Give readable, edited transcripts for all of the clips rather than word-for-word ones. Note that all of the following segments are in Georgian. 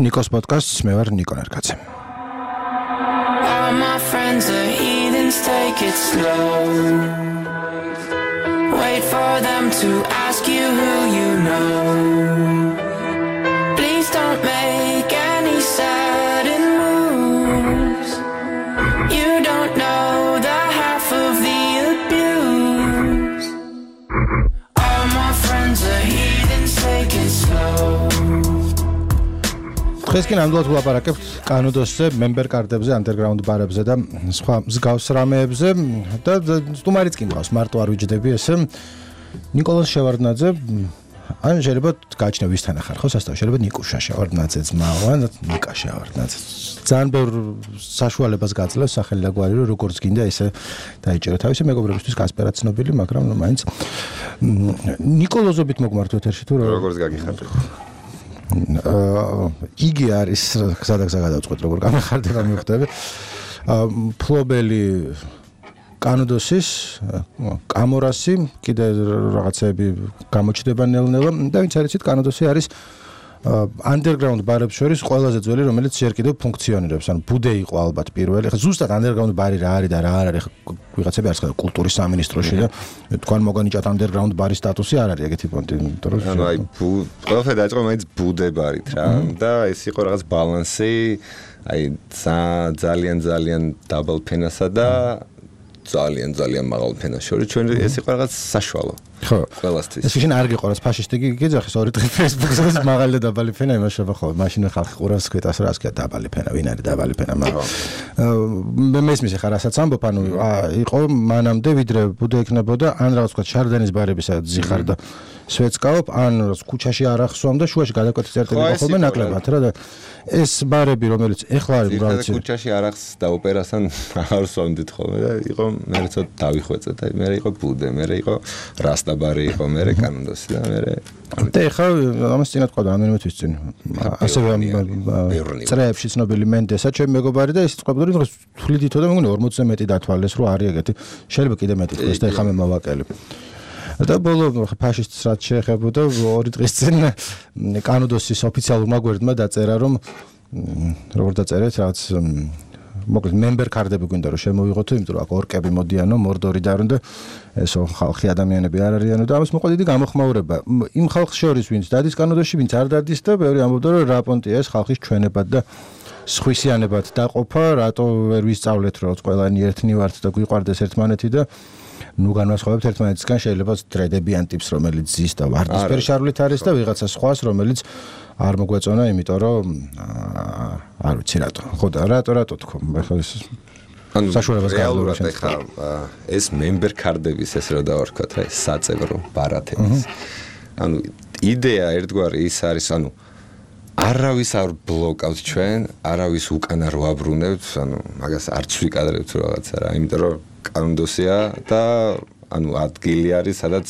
Nikos podcast მე ვარ Niko Nerkadze. All my friends are heathens, take it slow. Wait for them to ask you who you know. Please don't make any sudden moves. You don't know the half of the abuse. All my friends are heathens, take it slow. დღეს კი ნამდვილად ვლაპარაკებთ კანოდოსზე, member card-ებზე, underground bar-ებზე და სხვა მსგავს რამეებზე და სტუმარიც კი მყავს, მარტო არ ვიჯდები ესე. ნიკოლოზ შევარდნაძე, ან შეიძლება გაჩნია ვისთან ახარ ხო სასწავლო, შეიძლება ნიკუშა შევარდნაძე ძმაო, ან ნიკა შევარდნაძე. ძალიან ბევრ საშუალებას გაძლევს სახელი და გვარი, რომ როგორც გინდა ესე დაიჭერა თავისი მეგობრებისთვის კასპერაც ცნობილი, მაგრამ მაინც ნიკოლოზობით მოგმართვეთ ერში თუ როგორც გაგიხარდეთ. იგი არის სადაც გადავწყვეტ როგორ გამახარდება მივხვდები ფლობელი კანოდოსის კამორასი კიდე რაღაცები გამოჩნდება ნელ-ნელა და ვინც არიცით კანოდოსი არის underground bar-ებს შორის ყველაზე ძველი რომელიც ჯერ კიდევ ფუნქციონირებს ანუ ბუდე იყო ალბათ პირველი ხა ზუსტად underground bar-ი რა არის და რა არ არის ვიღაცები არის ხა კულტურის სამინისტროში და თქვენ მოგანიჭათ underground bar-ის სტატუსი არ არის ეგეთი პონტი ანუ აი ყველაფერი დაიწყო მაინც ბუდე ბარით რა და ეს იყო რაღაც ბალანსი აი ძალიან დაბალ ფენასა და ძალიან მაღალ ფენას შორის ჩვენ ეს იყო რაღაც საშუალო ხო ყველასთვის ეს შენ არ გიყურებს ფაშისტი გიძახის ორი დღე Facebook-ზე მაღალი და დაბალი ფენა იმაშობა ხო მაშინ ხალხი ყურავს ქვეტას რა ასკია დაბალი ფენა ვინ არის დაბალი ფენა მაგრამ მე მესმის ხარ რასაც ამბობ ანუ იყო მანამდე ვიდრე ბუდე ექნებოდა ან რაღაც თქვა შარდენის ბარებისა ზიხარ და სვეცკაობ ან ქუჩაში არ ახსოვამ და შუაში გადაკვეთის წერტილი ხოლმე ნაკლებად რა და ეს ბარები რომელიც ეხლა არის უბრალოდ ქუჩაში არახს და ოპერასთან არ სვამდით ხოლმე და იყო მე როცა დავიხვეწეთ აი მე იყო ბუდე მე იყო რასტა ბარი იყო მე კანოდოსი და მე და ეხლა ამას წინათ ყავდა რამდენიმე თვის წინ ასევე წრეებში ცნობილი მენდესა ჩემი მეგობარი და ის წყობდური რომ თვლიდითო და მეგონი 40-ზე მეტი დათვალეს რომ არის ეგეთი შეიძლება კიდე მეტი თქვეს და ეხლა მე მოვაკელი და ბოლო ფაშისტს რაც შეეხებოდა 2 დღის წინ კანოდოსის ოფიციალურმა გვერდმა დაწერა რომ როგორ დაწერეთ რაც მოკლედ member card-ები გვინდა რომ შემოვიღოთ იმიტომ რომ აქ ორკები მოდიანო მორდორიდან და ესო ხალხი ადამიანები არ არიანო და ამას მოყვა დიდი გამოხმაურება იმ ხალხს შორის ვინც დადის კანოდოში ვინც არ დადის და ბევრი ამბობდა რომ რა პონტია ეს ხალხის ჩვენებად და სხვისიანებად დაყოფა რატო ვერ ვისწავლეთ რომ ყველანი ერთნი ვართ და გვიყვარდეს ერთმანეთი და ნუ განვასხვავებთ ერთმანეთისგან შეიძლება დრედებიან ტიპს რომელიც ზის და ვარდისფერი შარვლით არის და ვიღაცა სხვას რომელიც არ მოგვეწონა იმიტომ რომ არ ვიცი რატო ხო და რატო თქო ახლა ეს საშუალებას რეალურად ახლა ეს member card-ების ეს რა დავარქვათ რა საწევრო ბარათების ანუ იდეა ერთგვარი ის არის ანუ არავის არ ბლოკავთ ჩვენ არავის უკან არ ვაბრუნებთ ანუ მაგას არც ვიკადრებთ რაღაცა რა იმიტომ რომ კანოდოსია და ანუ ადგილი არის სადაც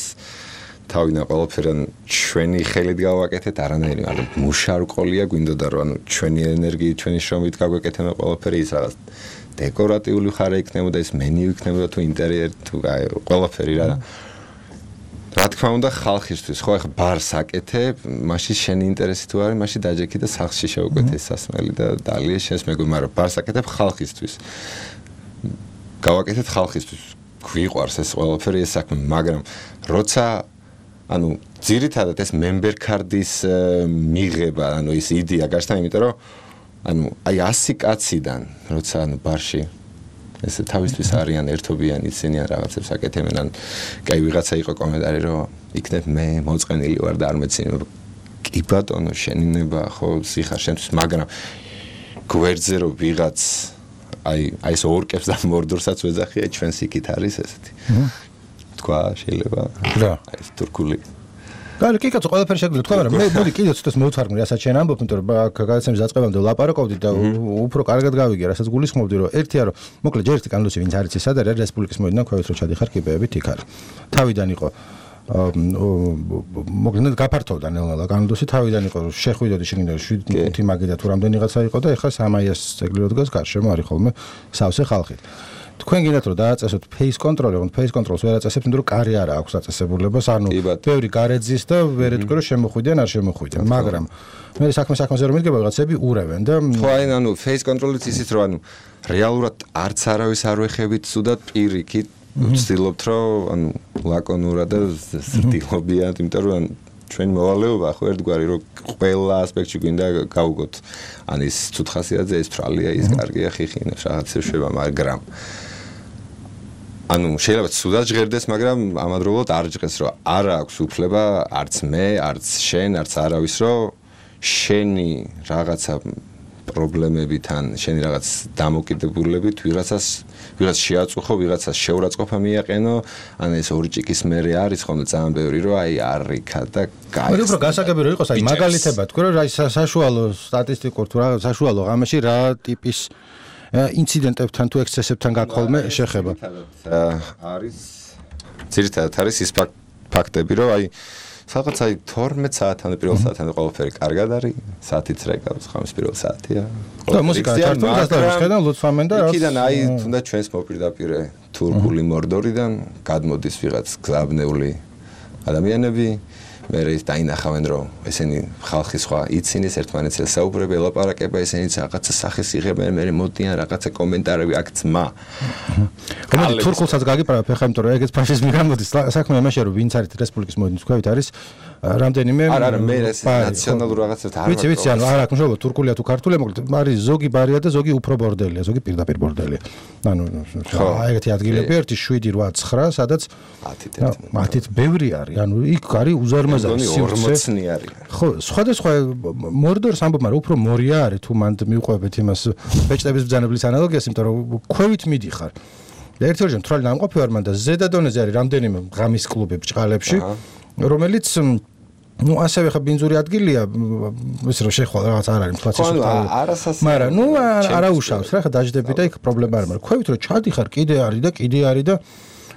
თავიდან ყველაფერი ჩვენი ხელით გავაკეთეთ არანაირი ანუ მუშარყოლია გვინდოდა რომ ანუ ჩვენი ენერგიით ჩვენი შრომით გავაკეთეთ ყველაფერი ის რაღაც დეკორატიული ხარ იქნებოდა ეს მენიუ იქნებოდა თუ ინტერიერი თუ ყველაფერი რა თქმა უნდა ხალხისთვის ხო ახლა ბარს აკეთებ მაშინ შენი ინტერესი თუ არის მაშინ დაჯექი და სახში შევკვეთე სასმელი და დალია შენს მეგობარ მაგრამ ბარს აკეთებ ხალხისთვის გავაკეთეთ ხალხისთვის გვიყვარს ეს ყველაფერი ეს საქმე მაგრამ როცა ანუ ძირითადად ეს member card-ის მიღება ანუ ის იდეა გაჩნდა იმიტომ რომ ანუ აი 100 კაციდან როცა ანუ ბარში ესე თავისთვის არიან ერთობიანი ისინი რაღაცებს აკეთებენ ან კაი ვიღაცა იყო კომენტარი რომ იქნებ მე მოწყენილი ვარ და არ მეცინე კი ბატონო შენინება ხო სიხარ შენთვის მაგრამ გვერდზე რომ ვიღაც აი ეს ორკებს და მორდორსაც ვეძახია ჩვენს იქით არის ესეთი თქვა შეიძლება რა ეს თურქული კი კაცო ყველაფერი შეგვიძლია თქვა მაგრამ მე მოდი კიდე ცოტას მოვთვარგმნი რასაც შენ ამბობ იმიტომ რომ გადაცემის დაწყებამდე ვლაპარაკობდი და უფრო კარგად გავიგე რასაც გულისხმობდი რომ ერთია რომ მოკლედ ჯერ ერთი კანონოსი ვინც არის ეს არის რესპუბლიკის მოედნიდან ქვევით რო ჩადიხარ კიბეებით იქ არის თავიდან იყო მოკლედ გაფართოვდა ნელ-ნელა კანონოსი თავიდან იყო რომ შეხვიდოდი შეგინდა 7 მაგიდა თუ რამდენიღაცა იყო და ეხლა სამაიას ეგლიო დგას გარშემო არის ხოლმე სავსე ხალხი თქვენ გინდათ რომ დააწესოთ face control-ი, რომ face control-ს ვერ აწესებთ, იმიტომ რომ კარი არ აქვს აწესებულებას, ანუ ბევრი გარეძის და ვერ ეთქვი რომ შემოხვიდიან, არ შემოხვიდიან, მაგრამ მე საქმეზე რომ მიდგება რაღაცები ურევენ და ხო აი ანუ face control-ით ისიც რომ ანუ რეალურად არც არავის არ ვეხებით სუდად პირიქით ვცდილობთ რომ ანუ ლაკონურად და სრდილობიანად, იმიტომ რომ ჩვენი მოვალეობა ხო ერთგვარი რომ ყველა ასპექტში გვინდა გავუგოთ ან ის ცუთხასიათზე ის თვალია ის კარგია ხიხინებს რაღაცებს შვება მაგრამ ანუ შეიძლება ცუდად ჟღერდეს მაგრამ ამავდროულად არ ჟღერს რომ არ აქვს უფლება არც მე არც შენ არც არავის რომ შენი რაღაცა პრობლემებიდან შენი რაღაც დამოკიდებულებით ვიღაცას შეაწუხო, ვიღაცას შეურაცხყოფა მიაყენო, ან ეს ორი ჭიქის მერე არის ხოლმე ძალიან ბევრი, რომ აი არიქა და გაიხსნა. მე უფრო გასაგები რომ იყოს, აი მაგალითებად, თქვენ რომ აი საშუალო სტატისტიკურ თუ რაღაც საშუალო ღამეში რა ტიპის ინციდენტებთან თუ ექსცესებთან გაქოლმე შეხება. არის ძირითადად არის ის ფაქტები, რომ აი სადღაც აი 12 საათამდე პირველ საათამდე ყველაფერი კარგად არის, საათიც რეკავს, ხამის პირველ საათია. და მუსიკა ჩართულს და ხედავ ლუთფამენ და იქიდან აი თუნდაც ჩვენს მოპირდაპირე თურქული მორდორიდან გადმოდის ვიღაც გზაბნეული ადამიანები, მე ის დაინახავენ რომ ესენი ხალხი სხვა იცინეს ერთმანეთს საუბრები, ელაპარაკება ესენიც რაღაცა სახეს იღებენ, მე მოდიან რაღაცა კომენტარები აქ ძმა. გამოდი თურქულსაც გაგიბრალებ ხა იმიტომ რომ ეგეც ფაშიზმი გამოდის საქმე იმაშია რომ ვინც არის რესპუბლიკის მოედნის თქვით არის რამდენიმე არა მე ეს ნაციონალურ რაღაცებს არ ვაკეთებ. ვიცი ანუ არ აქვს მშობლო თურქულია თუ ქართულია მოკლედ არის ზოგი ბარია და ზოგი უფრო ბორდელია, ზოგი პირდაპირ ბორდელია. ანუ ეგეთი ადგილები 1 7 8 9 სადაც 10-ით ბევრი არის. ანუ იქ არის უზარმაზარი სივრცე 40-ნი არის. ხო, სხვადასხვა მორდორს ამბობ, მაგრამ უფრო მორია არის თუ მანდ მიუყვებით იმას ბეჭდების ბრძანებლის ანალოგიას, იმიტომ რომ ქვევით მიდიხარ. ერთი ორჯერ მთვრალი ნამყოფი ვარ მან და ზედა დონეზე არის რამდენიმე ღამის კლუბი ბჭყალებში, რომელიც ну ასევე ხა ბინძური ადგილია ის რომ შეხვალ რაღაც არ არის მთვაც ისე მაგრამ ну არა უშავს რა ხა დაждები და იქ პრობლემა არ მაგრამ ქვევით რომ ჩადიხარ კიდე არის და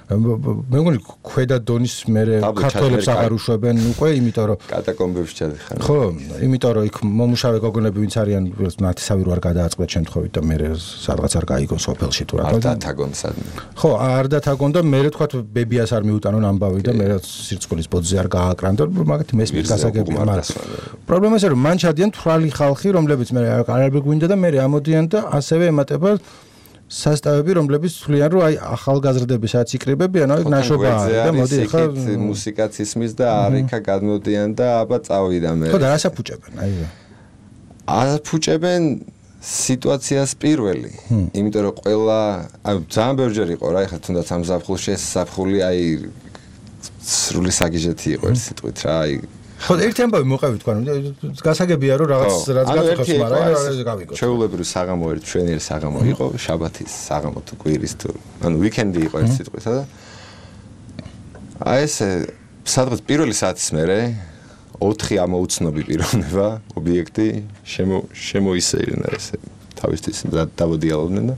მე მგონი ქვედა დონის მე ქართველებს აღარ უშვებენ უკვე იმიტომ რომ კატაკომბებში ჩადიხარ ხო იმიტომ რომ იქ მომუშავე გოგონები ვინც არიან ნათესავი რო არ გადააწყდეთ შემთხვევით და მე სადღაც არ გაიგონ სოფელში თუ რა არ დათაგონ სადმე ხო არ დათაგონ და მე თქვა ბებიას არ მიუტანონ ამბავი და მე სირცხვილის ბოძზე არ გააკრან და მაგათი მესმის გასაგები მაგრამ პრობლემა ისე რომ მან ჩადიან თვრალი ხალხი რომლებიც მე არ გვინდა და მე ამოდიან და ასევე ემატება სასტავები რომლებიც თვლიან რომ აი ახალგაზრდები სადაც იკრიბებიან აი ნაშობაა და მოდი ხა მუსიკაც ისმის და არიქა გადმოდიან და აბა წავიდა მე ხო და რას აფუჭებენ აფუჭებენ სიტუაციას პირველი იმიტომ რომ ყველა აი ძალიან ბევრჯერ იყო რა ეხლა თუნდაც ამ ზაფხულში ეს ზაფხული აი სრული საგიჟეთი იყო ერთ სიტყვით რა აი ხო ერთი ამბავი მოყევი თქვენ გასაგებია რომ რაღაც გაწეხოს მაგრამ გავიგო ჩვეულებრივი საღამო ერთ ჩვენიერი საღამო იყო შაბათის საღამო თუ კვირის თუ ანუ ვიკენდი იყო ერთ სიტყვით და აი ეს სადღაც პირველი საათის მერე 4 ამოუცნობი პიროვნება ობიექტი შემოისეირნა ესე თავისთვის დავოდიალობდნენ და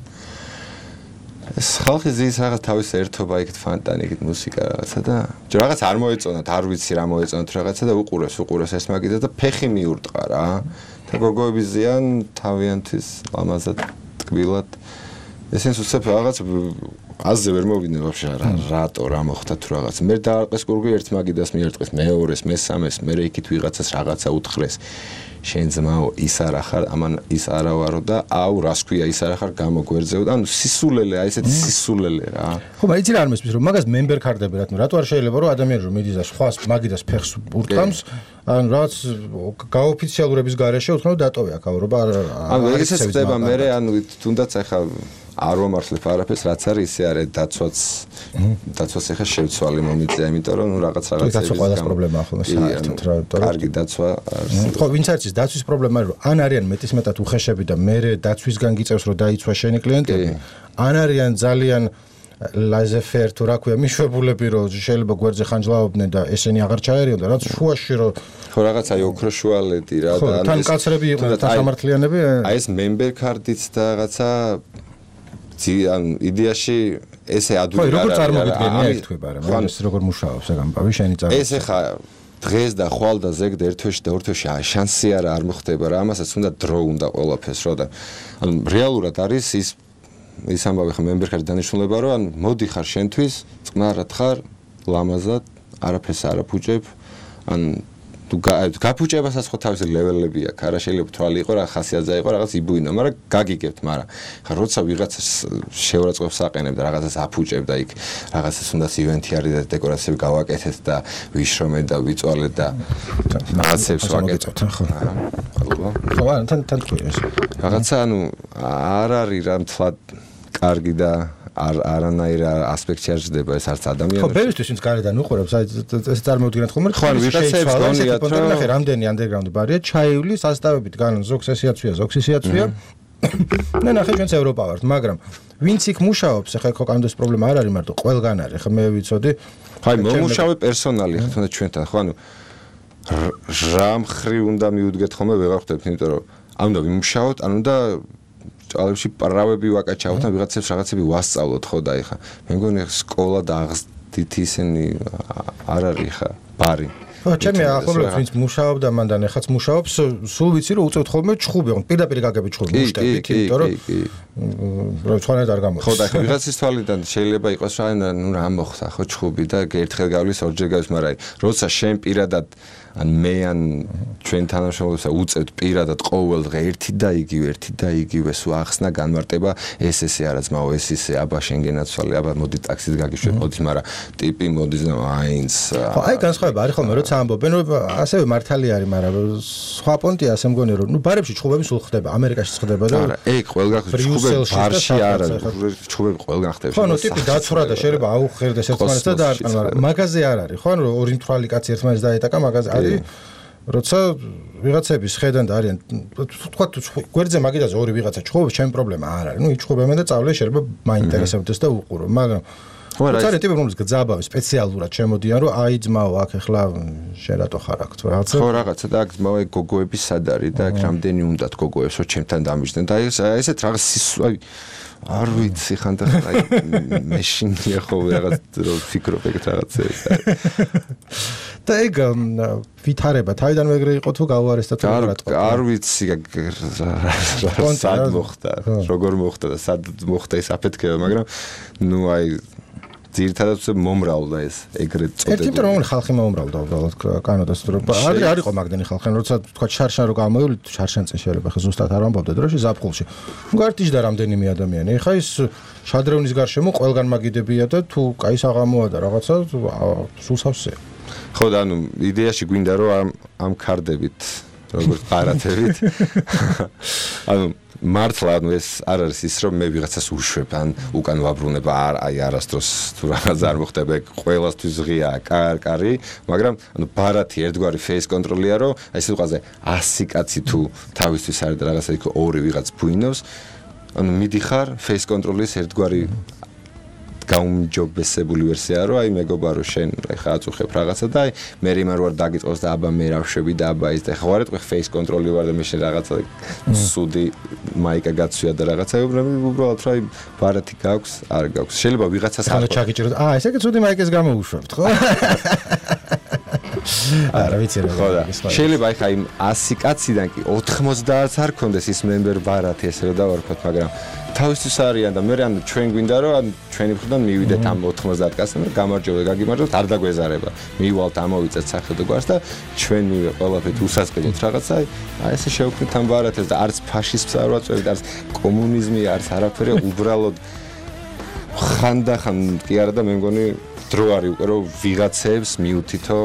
ეს ხალხი ზის რაღაც თავის ერთობა იქით ფანტანი იქით მუსიკა რაღაცა და რაღაც არ მოეწონათ არ ვიცი რა მოეწონათ რაღაცა და უყურეს ეს მაგიდა და ფეხი მიურტყა რა და გოგოები ზიან თავიანთვის ლამაზად ტკბილად ესენს უცებ რაღაც აზზე ვერ მოვიდნენ ვაფშე რატო რა მოხდა თუ რაღაც მე დაარყეს გურგი ერთ მაგიდას მიერტყეს მეორეს მესამეს მე იქით ვიღაცას რაღაცა უთხრეს შენ ძმაო ის არა ხარ ამან ის არა ვარო და აუ რას ქვია ის არა ხარ გამოგვერძეო და ანუ სისულელე აი ესეთი სისულელე რა ხო მაგრამ იცი რა არ მესმის რომ მაგას მემბერ კარდები რატო არ შეიძლება რომ ადამიანი რომ მიდის და სხვას მაგიდას ფეხს ურტყამს ანუ რაც გაოფიციალურების გარეშე უთხრა დატოვე აქაურობა ანუ ეგეც ხდება მე ანუ თუნდაც ახლა არ ვამართლებ არაფერს რაც არის ისე არის დაცვას ახლა შევცვალე მომიწია იმიტომ რომ ნუ რაღაც დაცვა ყველას პრობლემაა ხოლმე საერთოდ რა კარგი დაცვა ხო ვინც არის დაცვის პრობლემა რომ ან არიან მეტისმეტად უხეშები და მე დაცვისგან გიწევს რომ დაიცვა შენი კლიენტები ან არიან ძალიან ლაზეფერ თუ რა ქვია მიშვებულები რომ შეიძლება გვერდზე ხანჯლაობდნენ და ესენი აღარ ჩაერიონ და რაც შუაში რომ ხო რაღაც აი ოქროშუალედი რა და თან კაცრები იყვნენ და სამართლიანები აი ეს მემბერ კარდიც და რაღაცა ან იდეაში ესე ადვილი არა. ხო, როგორ წარმოგიდგენია ეს თქვება რა, მაგრამ ეს როგორ მუშაობს ეგ ამბავი შენი წარმოგიდგენია. ეს ხა დღეს და ხვალ და ზეგ და ერთ თვეში და ორ თვეში შანსი არა არ მოხდება რა, ამასაც უნდა დრო უნდა ყველაფერს რო და ანუ რეალურად არის ის ის ამბავი ხა მემბერქარი დანიშნულება რომ ან მოდი ხარ შენთვის წყნარად ხარ ლამაზად არაფერს არ აფუჭებ ან თუ გაფუჭებასაც ხო თავისი ლეველები აქვს არა შეიძლება თვალი იყო რა ხასიათზე იყო რაღაც იბუინა მაგრამ გაგიგებთ მაგრამ ხა როცა ვიღაცას შეურაცხყოფს აყენებ და რაღაცას აფუჭებ და იქ რაღაცას უნდა ივენთი არის და დეკორაციები გავაკეთეთ და ვიშრომეთ და ვიწვალეთ და რაღაცებს ვაკეთოთ ხო ხო თან თქვენ რაღაცა ანუ არ არის რა მთლად კარგი და არანაირ ასპექტში არ ჟდება ეს არც ადამიანებს. ხო, ბევრისთვის ვინც გარედან უყურებს, ეს წარმოვიდგინეთ ხოლმე. ხო, ვიხსენებ გონიათ რომ ნახე რამდენი ანდერგრაუნდი ბარია, ჩაივლის ასტავებით განან ზოგს ესიაცვია, ზოგს ისიაცვია. და ნახე ჩვენც ევროპა ვართ, მაგრამ ვინც იქ მუშაობს, ახლა ხო კანონის პრობლემა არ არის მარტო ყველგან არის, ხო მე ვიცოდი. ხო, მომუშავე პერსონალი ხო თუნდაც ჩვენთან, ხო ანუ რა მხრივ უნდა მიუდგეთ ხოლმე ვეღარ ხვდებით, იმიტომ რომ ამ უნდა ვიმუშაოთ, ანუ და ჭალებში პრავები ვაკაჩავთ და ვიღაცებს რაღაცები ვასწავლოთ ხო და ეხა მე მგონი სკოლა და აღზრდით ისინი არ არის ხა ბარი ხო ჩემი ახლობლებს ვინც მუშაობდა მანდან ეხაც მუშაობს სულ ვიცი რომ უწევთ ხოლმე ჩხუბი ხო პირდაპირ გაგები ჩხუბი მუშტებით იმიტომ რომ სხვანაირად არ გამოდის ხო და ეხა ვიღაცის თვალიდან შეიძლება იყოს რა ნუ რა მოხდა ხო ჩხუბი და ერთხელ გავლის ორჯერ გავლის მაგრამ როცა შენ პირადად ან მე ან ჩვენ თანამშრომლებს უწევთ პირადად ყოველ დღე ერთი და იგივე სულ ახსნა განმარტება ეს ესე არა ძმაო ეს ისე აბა შენ გენაცვალე აბა მოდი ტაქსით გაგიშვებ მოდი მაგრამ ტიპი მოდი აინც ხო აი განსხვავება არის ხოლმე როცა ამბობენ რომ ასევე მართალი არის მაგრამ სხვა პონტია ასე მგონი რომ ნუ ბარებში ჩხუბები სულ ხდება ამერიკაში ხდება და არა ეგ ყველგან ჩხუბები ბარში არა ჩხუბები ყველგან ხდება ხო ნუ ტიპი დაცვრა და შეიძლება აუხერდეს ერთმანეთს და დაარტყან მაგრამ მაგაზე არ არის ხო რომ ორი მთვალი კაცი ერთმანეთს დაეტაკა მაგაზე არის როცა ვიღაცების ხედან და არიან თქვა გვერდზე მაგიდაზე ორი ვიღაცა ჩხუბობს ჩემი პრობლემა არ არის ნუ იჩხუბებენ და წავლე შეიძლება მაინტერესებდეს და უყურო მაგრამ როცა ტიპები რომლის გძაბავი სპეციალურად შემოდიან რომ აი ძმაო აქ ახლა შენ რატო ხარ აქ თუ რაღაცა ხო რაღაცა და აქ ძმაო ეგ გოგოების სად არის და აქ რამდენი უნდათ გოგოებს რომ ჩემთან დამიჯდნენ და ესეთ რაღაც სისვლა არ ვიცი ხანდახან აი მეშინია ხო რაღაც რომ ფიქრობ ეგ რაღაცებს და ეგ ვითარება თავიდან ეგრე იყო თუ გაუარესდა თუ რა არ ვიცი სად მოხდა როგორ მოხდა და სად მოხდა ეს აფეთქება მაგრამ ნუ აი ძირითადად მომრავლდა ეს ეგრეთ წოდებული. ერთი რომ ხალხი მომრავლდა უბრალოდ კანადას რომ ადრე არ იყო მაგდენი ხალხი, როცა თქვა შარშან რო გამოივლით, შარშან წინ შეიძლება ხა ზუსტად არ ამბობდე დროში ზაფხულში. გარტიჟდა რამდენიმე ადამიანი. ეხა ის შადრევნის გარშემო ყველგან მაგიდებია და თუ კაი საღამოა და რაღაცა სულ სავსეა. ხო და ანუ იდეაში გვინდა რომ ამ კარდებით როგორც პარათებით ანუ მართლა ანუ ეს არ არის ის რომ მე ვიღაცას უშვებ ან უკან ვაბრუნება აი არასდროს თუ რაღაც არ მოხდება ყველასთვის ღია კარი მაგრამ ანუ ბარათი ერთგვარი ფეის კონტროლია რომ აი სიტყვაზე 100 კაცი თუ თავისთვის არის და რაღაცა იქ ორი ვიღაც ბუინოს ანუ მიდიხარ ფეის კონტროლის ერთგვარი გაუმჯობესებული ვერსია რომ აი მეგობა რომ შენ ხა აწუხებ რაღაცა და აი მე რიმარ ვარ დაგიწყოს და აბა მე რავშვები და აბა ის და ხა ვარ ეთქვი ფეის კონტროლი ვარ და მე შენ რაღაცა სუდი მაიკა გაცვია და რაღაცა უბრალოდ რა ბარათი გაქვს არ გაქვს შეიძლება ვიღაცას ახლა ჩაგიჭიროთ ესე კი სუდი მაიკას გამოუშვებთ ხო არა ვიცი რა შეიძლება აი ხა იმ 100 კაციდან კი 90-ს არ კონდეს ის მემბერ ბარათი ესე რომ დავარქოთ მაგრამ თავისთვის არიან და მე ან ჩვენ გვინდა რომ ან ჩვენი მხრიდან მივიდეთ ამ 90 კაცთან და გამარჯობა გაგიმარჯოთ არ დაგვეზარება მივალთ ამოვიწეთ სახელმწიფო გვარს და ჩვენ მივე ყველაფერთ უსასყიდოთ რაღაცა აი ესე შევქმნით ამ ბარათებს და არც ფაშიზმს არ ვაწევთ არც კომუნიზმი არც არაფერი უბრალოდ ხანდახან კი არა და მე მგონი დრო არის უკვე რომ ვიღაცებს მიუთითო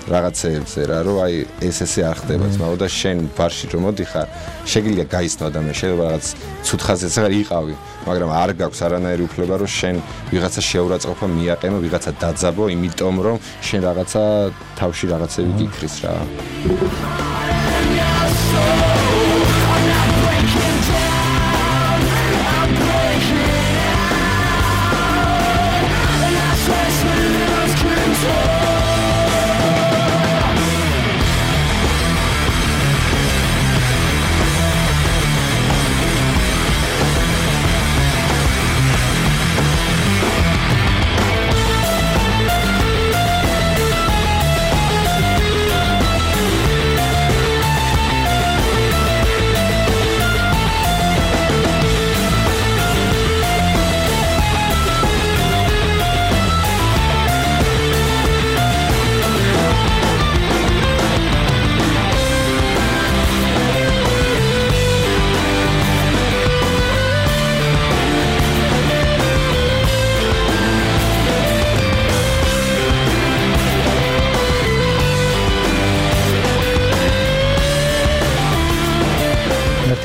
რაღაცეებზე რა რომ აი ესე არ ხდება ძმაო და შენ ბარში რომ მოდიხარ შეგიძლია გაიცნო ადამიანს შეიძლება რაღაც ცუდ ხაზზეც აღარ იყავი მაგრამ არ გაქვს არანაირი უფლება რომ შენ ვიღაცა შეურაცხყოფა მიაყენო ვიღაცა დაძაბო იმიტომ რომ შენ რაღაცა თავში რაღაცები გიქრის რა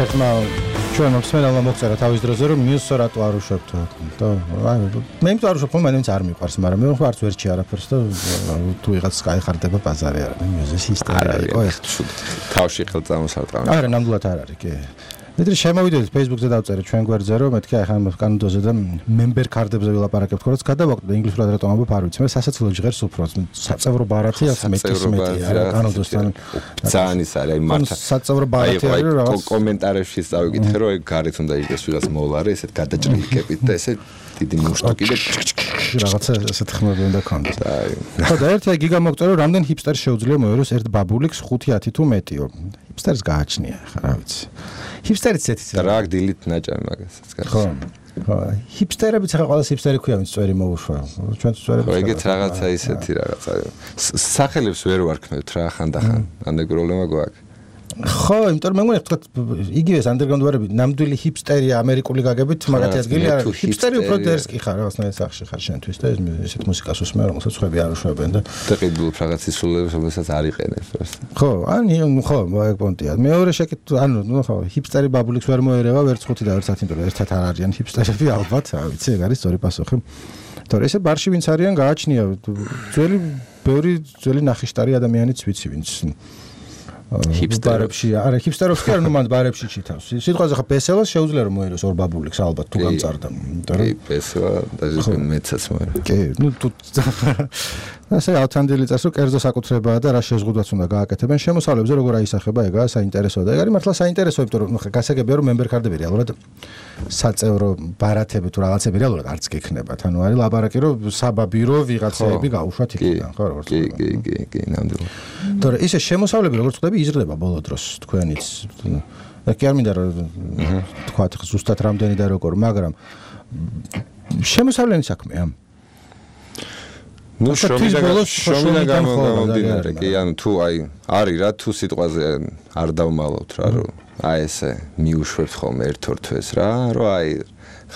ერთ-ერთმა ჩვენ მსმენელმა მოგწერა თავის დროზე რომ მიუსო რატო არ უშვებთ და მე იმიტომ არ უშვებ მაინც არ მიყვარს მაგრამ მე ხარ ვერჩი არაფერს და თუ ვიღაც გაიხარდება ბაზარი არა მიუზის ისტორია იყო ეს თავში ხელწამოსარტყამი არა ნამდვილად არ არის კი მეტრი შემოვიდეთ Facebook-ზე დავწერე ჩვენ გვერდზე რომ მეთქი ახლა კანონდოზე და member card-ებზე ვილაპარაკებთ ხოლმე გადავაკვდე და ინგლისურად რატომ ამბობ არ ვიცი მე სასაცილო ჟღერს უფრო საწევრო ბარათი აქვს მეტია კანონდოსთან ძალიან ის არის აი მართა საწევრო ბარათი არის რაღაც კომენტარებში წავიკითხე რომ ეგ გარეთ უნდა იყოს ვიღაც მოლარე ესეთ გადაჭრილკებით და ესე დიდი მუშტუკი და რაღაცა ესეთ ხმები უნდა ქონდეს ხო და ერთი გიგა მოგწერო რამდენ ჰიპსტერ შეუძლია მოეროს ერთ ბაბულიკს 5-10 თუ მეტიო ჰიპსტერს გააჩნია ხა რა ვიცი ჰიპსტერიც ესეთი და რა დილით ნაჭამი მაგასაც ხო ხო ჰიპსტერებიც ახლა ყველა ჰიპსტერი ქვია ვინც წვერი მოუშვა ჩვენ წვერებს ხო ეგეთ რაღაცა ისეთი რაღაცა სახელებს ვერ ვარქმევთ რა ხანდახან ამდე პრობლემა გვაქვს ხო, იმიტომ მე მგონი იგივეს ანდერგრაუნდ ვარები ნამდვილი ჰიპსტერი ამერიკული გაგებით მაგათი ადგილი არ არის. ჰიპსტერი უფრო დერსკი ხარ, რაღაცნაირად სახში ხარ შენთვის და ესეთ მუსიკას უსმენ, რომელსაც ხვები არ უშვებენ და დაყიდულ რაღაც ისულებს, რომელსაც არ იყენებს просто. ხო, ხო, მაგ პონტია. მეორე შეკითხვა, ანუ ხო, ჰიპსტერი ბაბულიks ვერ მოერევა, ვერც 5 და ვერც 10, იმიტომ რომ ერთად არ არიან ჰიპსტერები ალბათ, რა ვიცი, ეგ არის სწორი პასუხი. თორე ესე ბარში ვინც არიან გააჩნია ძველი ნახიშტარი ადამიანიც ვიცი ვინც ჰიპსტერებში არა ჰიპსტერებს კი არ ნუ მან ბარებში ჩითავს სიტყვაზე ხა ბესელას შეუძლია რომ მოეროს ორ ბაბულიks ალბათ თუ გამწარდა იმიტომ რომ ბესელა და მეცაც მოერა კი ნუ თუ ასე ავთანდილი წარს რომ კერძო საკუთრებაა და რა შეზღუდვაც უნდა გააკეთებენ შემოსავლებზე როგორ აისახება ეგაა საინტერესოა და ეგ არის მართლა საინტერესო იმიტომ რომ ხა გასაგებია რომ member card-ები რეალურად საწევრო ბარათები თუ რაღაცები რეალურად არც გექნებათ ანუ არის ლაბარაკი რომ საბაბირო ვიღაცები გაუშვათ იქიდან ხო როგორც კი ნამდვილად თორე ისე შემოსავლები როგორც ხდები იზრდება ბოლო დროს თქვენიც და კი არ მინდა რომ თქვათ ზუსტად რამდენი და როგორ მაგრამ შემოსავლიანი საქმეა ნუ შრომიდან გამომდინარე კი ანუ თუ აი არის რა თუ სიტყვაზე არ დავმალავთ რა რომ აი ესე მიუშვებთ ხოლმე ერთ-ორ თვეს რა რომ აი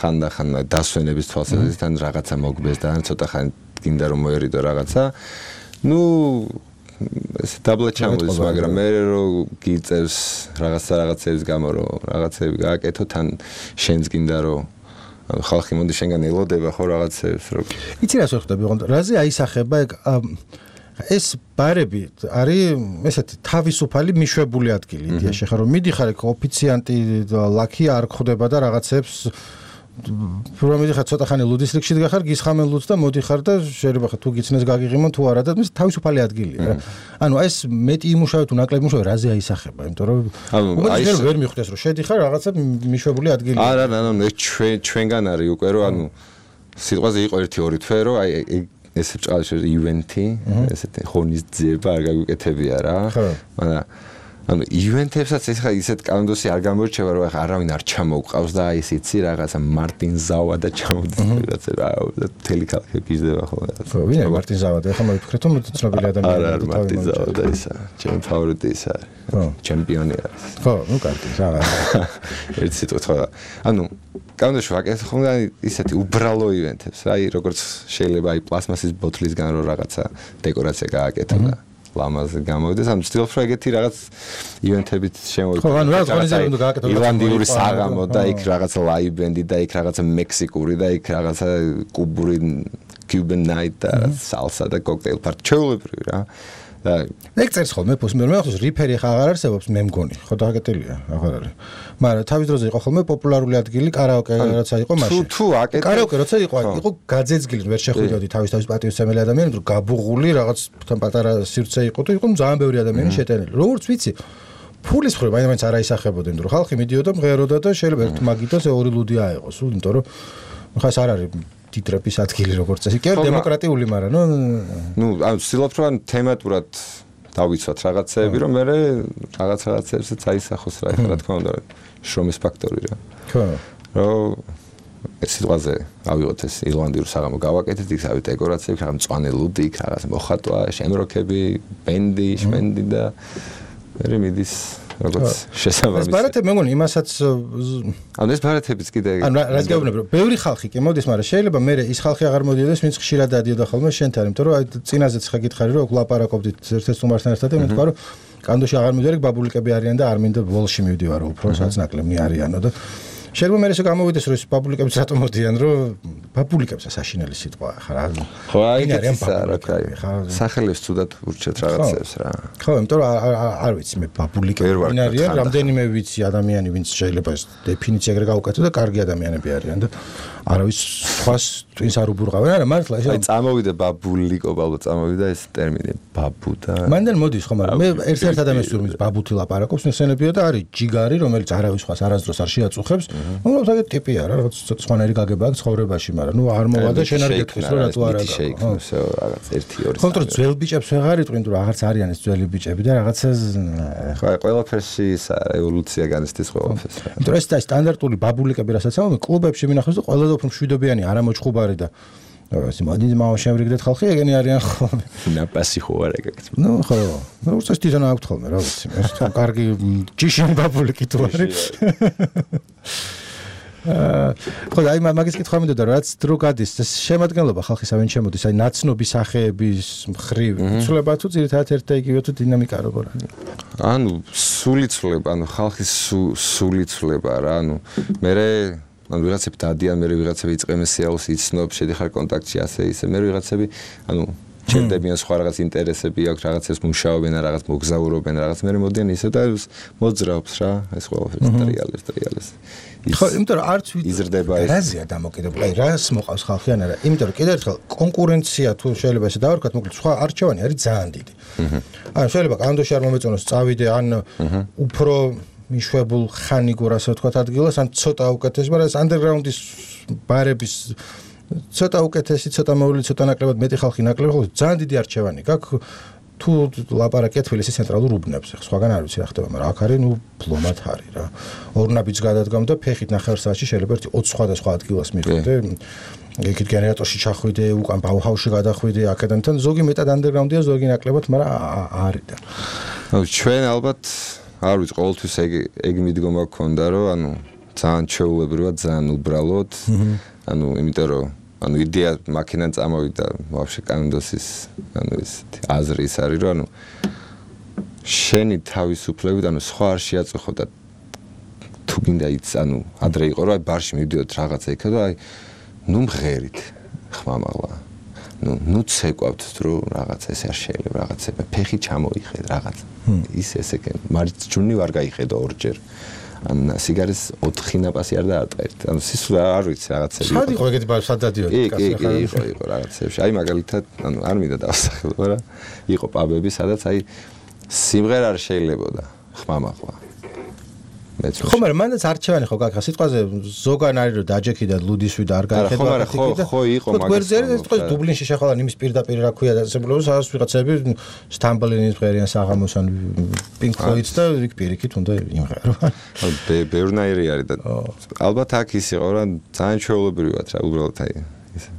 ხანდახან დასვენების თვალსაზრისით ან რაღაცა მოგბეს და ან ცოტა ხანი გინდა რომ მოერიდო რაღაცა ნუ ეს დაბლა ჩამოდის მაგრამ მე რომ გიწევს რაღაცების გამო რომ რაღაცები გააკეთო თან შენს გინდა რომ ხალხი მოდი შენგან ელოდება ხო რაღაცებს რომ იცი რას ვხვდები ოღონდ რაზე აისახება ეს ბარები არის ესეთი თავისუფალი მიშვებული ადგილი იდეაში ხარ რომ მიდიხარ ეგ ოფიციანტი ლაკი არ ხდება და რაღაცებს რომ მიდიხარ ცოტა ხანი ლუდის რიგში დგახარ გისხამენ ლუდს და მოდიხარ და შეიძლება ხა თუ გიცნეს გაგიღიმონ თუ არა და ეს თავისუფალი ადგილია რა ანუ ეს მეტი იმუშავე თუ ნაკლები იმუშავე რაზე აისახება იმიტომ რომ აი ეს ვერ მიხვდეს რომ შედიხარ რაღაცა მიშვებული ადგილი არა ჩვენგან არის უკვე რომ ანუ სიტყვაზე იყო 1-2 თვე რომ აი ეს ჭალში ივენთი ესეთი ხონისძიება არ გაგვიკეთებია რა მაგრამ ანუ ივენთებსაც ეს ხა ისეთ კალენდარში არ გამორჩება რომ ახლა არავინ არ ჩამოუყავს და აი ეს იცი რაღაცა მარტინ ზავა და ჩამოდის რაღაცა რა თელი ქალაქი გიზდება ხოლმე ხო ვინა მარტინ ზავა და ახლა მოვიფიქრეთ რომ ცნობილი ადამიანი არა მარტინ ზავა და ისა ჩემი ფავორიტი ის არის ჩემპიონი არის ხო ნუ კარგი რა ერთ სიტყვით ხო ანუ კალენდარში ვაკეთებ ხოლმე ისეთი უბრალო ივენთებს აი როგორც შეიძლება აი პლასმასის ბოთლისგან რო რაღაცა დეკორაცია გააკეთო და ლამაზე გამოვიდეს ამ ცდილობ რომ ეგეთი რაღაც ივენთებით შემოვიდეს ხო ანუ რაღაც ორგანიზება უნდა გააკეთო ირლანდიური საღამო და იქ რაღაცა ლაივ ბენდი და იქ რაღაცა მექსიკური და იქ რაღაცა კუბური Cuban night და salsa და cocktail party ჩეულებრივი რა და ეგ წერს ხოლმე მე ხოს რიფერი ხა აღარ არსებობს მე მგონი ხო დაგაკეთილია აღარ არის მაგრამ თავის დროზე იყო ხოლმე პოპულარული ადგილი კარაოკე რაცა იყო მაშინ თუ აკეთე კარაოკე როცა იყო გაძეძგილი ვერ შეხვდიოდი თავის პატივისცემელი ადამიანი თუ გაბუღული რაღაც თან პატარა სივრცე იყო თუ იყო ძალიან ბევრი ადამიანი შეტანილი როგორც ვიცი ფულის ხრება მაინც არ აისახებოდნენ რომ ხალხი მიდიოდა მღეროდა და შეიძლება ერთ მაგიტას ორი ლუდი აეყოს იმიტომ რომ ხას არ არის ტიტრების ადგილი როგორც წესი კი არა დემოკრატიული მაგრამ ნუ ანუ ვცდილობ რომ თემატურად დავიცვათ რაღაცეები რომ მე რაღაცებსაც აისახოს რა ეხლა რა თქმა უნდა შრომის ფაქტორი რა ხო რომ ეს სიტყვაზე ავიღოთ ეს ირლანდიურ საღამო გავაკეთეთ იქ ავი დეკორაციები რაღაც მწვანე ლუდი იქ რაღაც მოხატვა შემროქები ბენდი შმენდი და მე მიდის როგორც შესაბამისი. ეს ბარათები მე მგონი იმასაც ანუ ეს ბარათებიც კიდე ანუ რაც გაუბნები რომ ბევრი ხალხი კი მოდის, მაგრამ შეიძლება მე ის ხალხი აღარ მოდიოდეს, ვინც ხშირად დადიოდა ხოლმე შენთან, იმიტომ რომ აი წინაზეც ხა გითხარი რომ ლაპარაკობდით ერთ-ერთ სტუმართან ერთად და მე თქვა რომ კანდოში აღარ მივდივარ, ბაბულიკები არიან და არ მინდა ვოლში მივდივარ, უფრო სადაც ნაკლები არიანო და შეიძლება მე ესე გამოვიდეს რომ ეს ბაბულიკები რატომ მოდიან რომ ბაბულიკებს საშინელი სიტყვა ხარ ხო აიგეთ სახელებს თუდად ურჩეთ რაღაცებს რა ხო იმიტომ რომ არ ვიცი მე ბაბულიკები არიან რამდენიმე ვიცი ადამიანი ვინც შეიძლება ეს დეფინიცია ეგრე გავუკეთო და კარგი ადამიანები არიან და არავის სხვას twins არ უბურღავენ არა მართლა ეს აი წამოვიდა ბაბულიკო ბაბუ წამოვიდა ეს ტერმინი ბაბუ და მანდელ მოდის ხო მაგრამ მე ერთ ადამიანს ვიმის ბაბუთი ლაპარაკობს ნახსენებია და არის ჯიგარი რომელიც არავის სხვას არასდროს არ შეაწუხებს უბრალოდ ეგ ტიპი არა რაღაც სხვანაირი გაგება აქვს ცხოვრებაში მაგრამ ნუ არ მოვა და შენ არ გეტყვის რომ რატო არა ხო რაღაც 1-2 ხო თორე ძველ ბიჭებს ვეღარ იტყვინ თუ რაღაცა არიან ეს ძველი ბიჭები და რაღაცა ხო ყველაფერში ის ევოლუცია განიცდის ყველაფერს იმიტომ რომ ეს სტანდარტული ბაბულიკები რასაც ამბობენ კლუბებში მინახავს და ყველა უფრო მშვიდობიანი არა მოჭხუბარი და ეს მოდი მაუშევრიგდეთ ხალხი ეგენი არიან ხოლმე ნაპასი ხო არა ეგეთ ნუ ხო ნუ უბრალოდ თვითონ აქვთ ხოლმე რა ვიცი ეს თუ კარგი ჯიშიან ბაბულიკი თუ არის ხო და აი მაგის კითხვა მინდოდა რაც დრო გადის ეს შემადგენლობა ხალხისა ვინ შემოდის აი ნაცნობი სახეების მხრივ ცვლება თუ ძირითადად ერთ და იგივე თუ დინამიკა როგორ არის ანუ სული ცვლება ანუ ხალხის სული ცვლება რა ანუ მე ანუ ვიღაცები დადიან მე ვიღაცები იწყემენ სიაულს იცნობ შედიხარ კონტაქტში ასე ისე მე ვიღაცები ანუ ჩერდებიან სხვა რაღაც ინტერესები აქვს რაღაცებს მუშაობენ რაღაც მოგზაურობენ რაღაც მე მოდიან ისე და მოძრაობს რა ეს ყველაფერი ტრიალებს ხო იმიტომ რომ არც იზრდება ეს რაზეა დამოკიდებული აი რას მოყავს ხალხი ან არა იმიტომ რომ კიდევ ერთხელ კონკურენცია თუ შეიძლება ესე დავარქვათ მოკლედ სხვა არჩევანი არის ძალიან დიდი ან შეიძლება კანდოში არ მომეწონოს წავიდე ან უფრო მიშვებულ ხანიგურ ასე ვთქვათ ადგილას ან ცოტა უკეთესი მაგრამ ეს ანდერგრაუნდის ბარების ცოტა უკეთესი ცოტა მოვლილი ცოტა ნაკლებად მეტი ხალხი ნაკლები ხო ძალიან დიდი არჩევანი გაქვს თუ ლაპარაკია თბილისის ცენტრალურ უბნებზე სხვაგან არ ვიცი რა ხდება მაგრამ აქ არის ნუ ფლომად არის რა ორნაბიც გადადგამ და ფეხით ნახევარსაათში შეიძლება 20 სხვადასხვა ადგილას მიხვიდე ეგეთ გენერატორში ჩახვიდე უკან ბაუჰაუსში გადახვიდე აქედან თან ზოგი მეტად ანდერგრაუნდია ზოგი ნაკლებად მაგრამ არის და ნუ ჩვენ ალბათ არ ვიცი ყოველთვის ეგ მიდგომა გქონდა რომ ანუ ძალიან ჩეულებრივად ძალიან უბრალოდ ანუ იმიტომ რომ ანუ იდეა მაქინან წამოვიდა ვაფშე კანონდოსის ანუ ეს აზრი ის არის რომ ანუ შენი თავისუფლებით ანუ სხვა არ შეაწუხო და თუ გინდა იც ანუ ადრე იყო რომ აი ბარში მივდიოთ რაღაცა იქა და აი ნუ მღერით ხმამაღლა ნუ ცეკვავთ რომ რაღაცა ესე არ შეიძლება რაღაცა ფეხი ჩამოიხედ რაღაც ის ესე მარიც ჯუნი ვარ გაიხედო ორჯერ ან სიგარის 4 ნაპასი არ დაარტყეთ. ანუ სისულა არ ვიცი რაღაცები. სად იყო ეგეთი ბავშვი სად დადიოდი კაცი ხარ? იყო რაღაცებში. აი მაგალითად, ანუ არ მინდა დავასახელო, მაგრამ იყო პაბები, სადაც აი სიმღერა არ შეიძლებოდა ხმამაღლა. ხო, მაგრამ მანდაც არჩევანი ხო გაქრა სიტყვაზე ზოგან არის რომ დაჯექიდა ლუდისვი და არ გაიხედა ხო იყო მაგას. გვერდზე სიტყვაზე დუბლინში შეხვალა იმის პირდაპირ რა ქვია და სებულოს სადაც ვიღაცები სტამბლინის ღერიან საღამოს ან პინკ ფლოიდს და იქ პირიქით უნდა იმღერო. ბევრნაირი არის და ალბათ აქ ის იყო რა ძალიან ჩვეულებრივად რა უბრალოდ აი ისე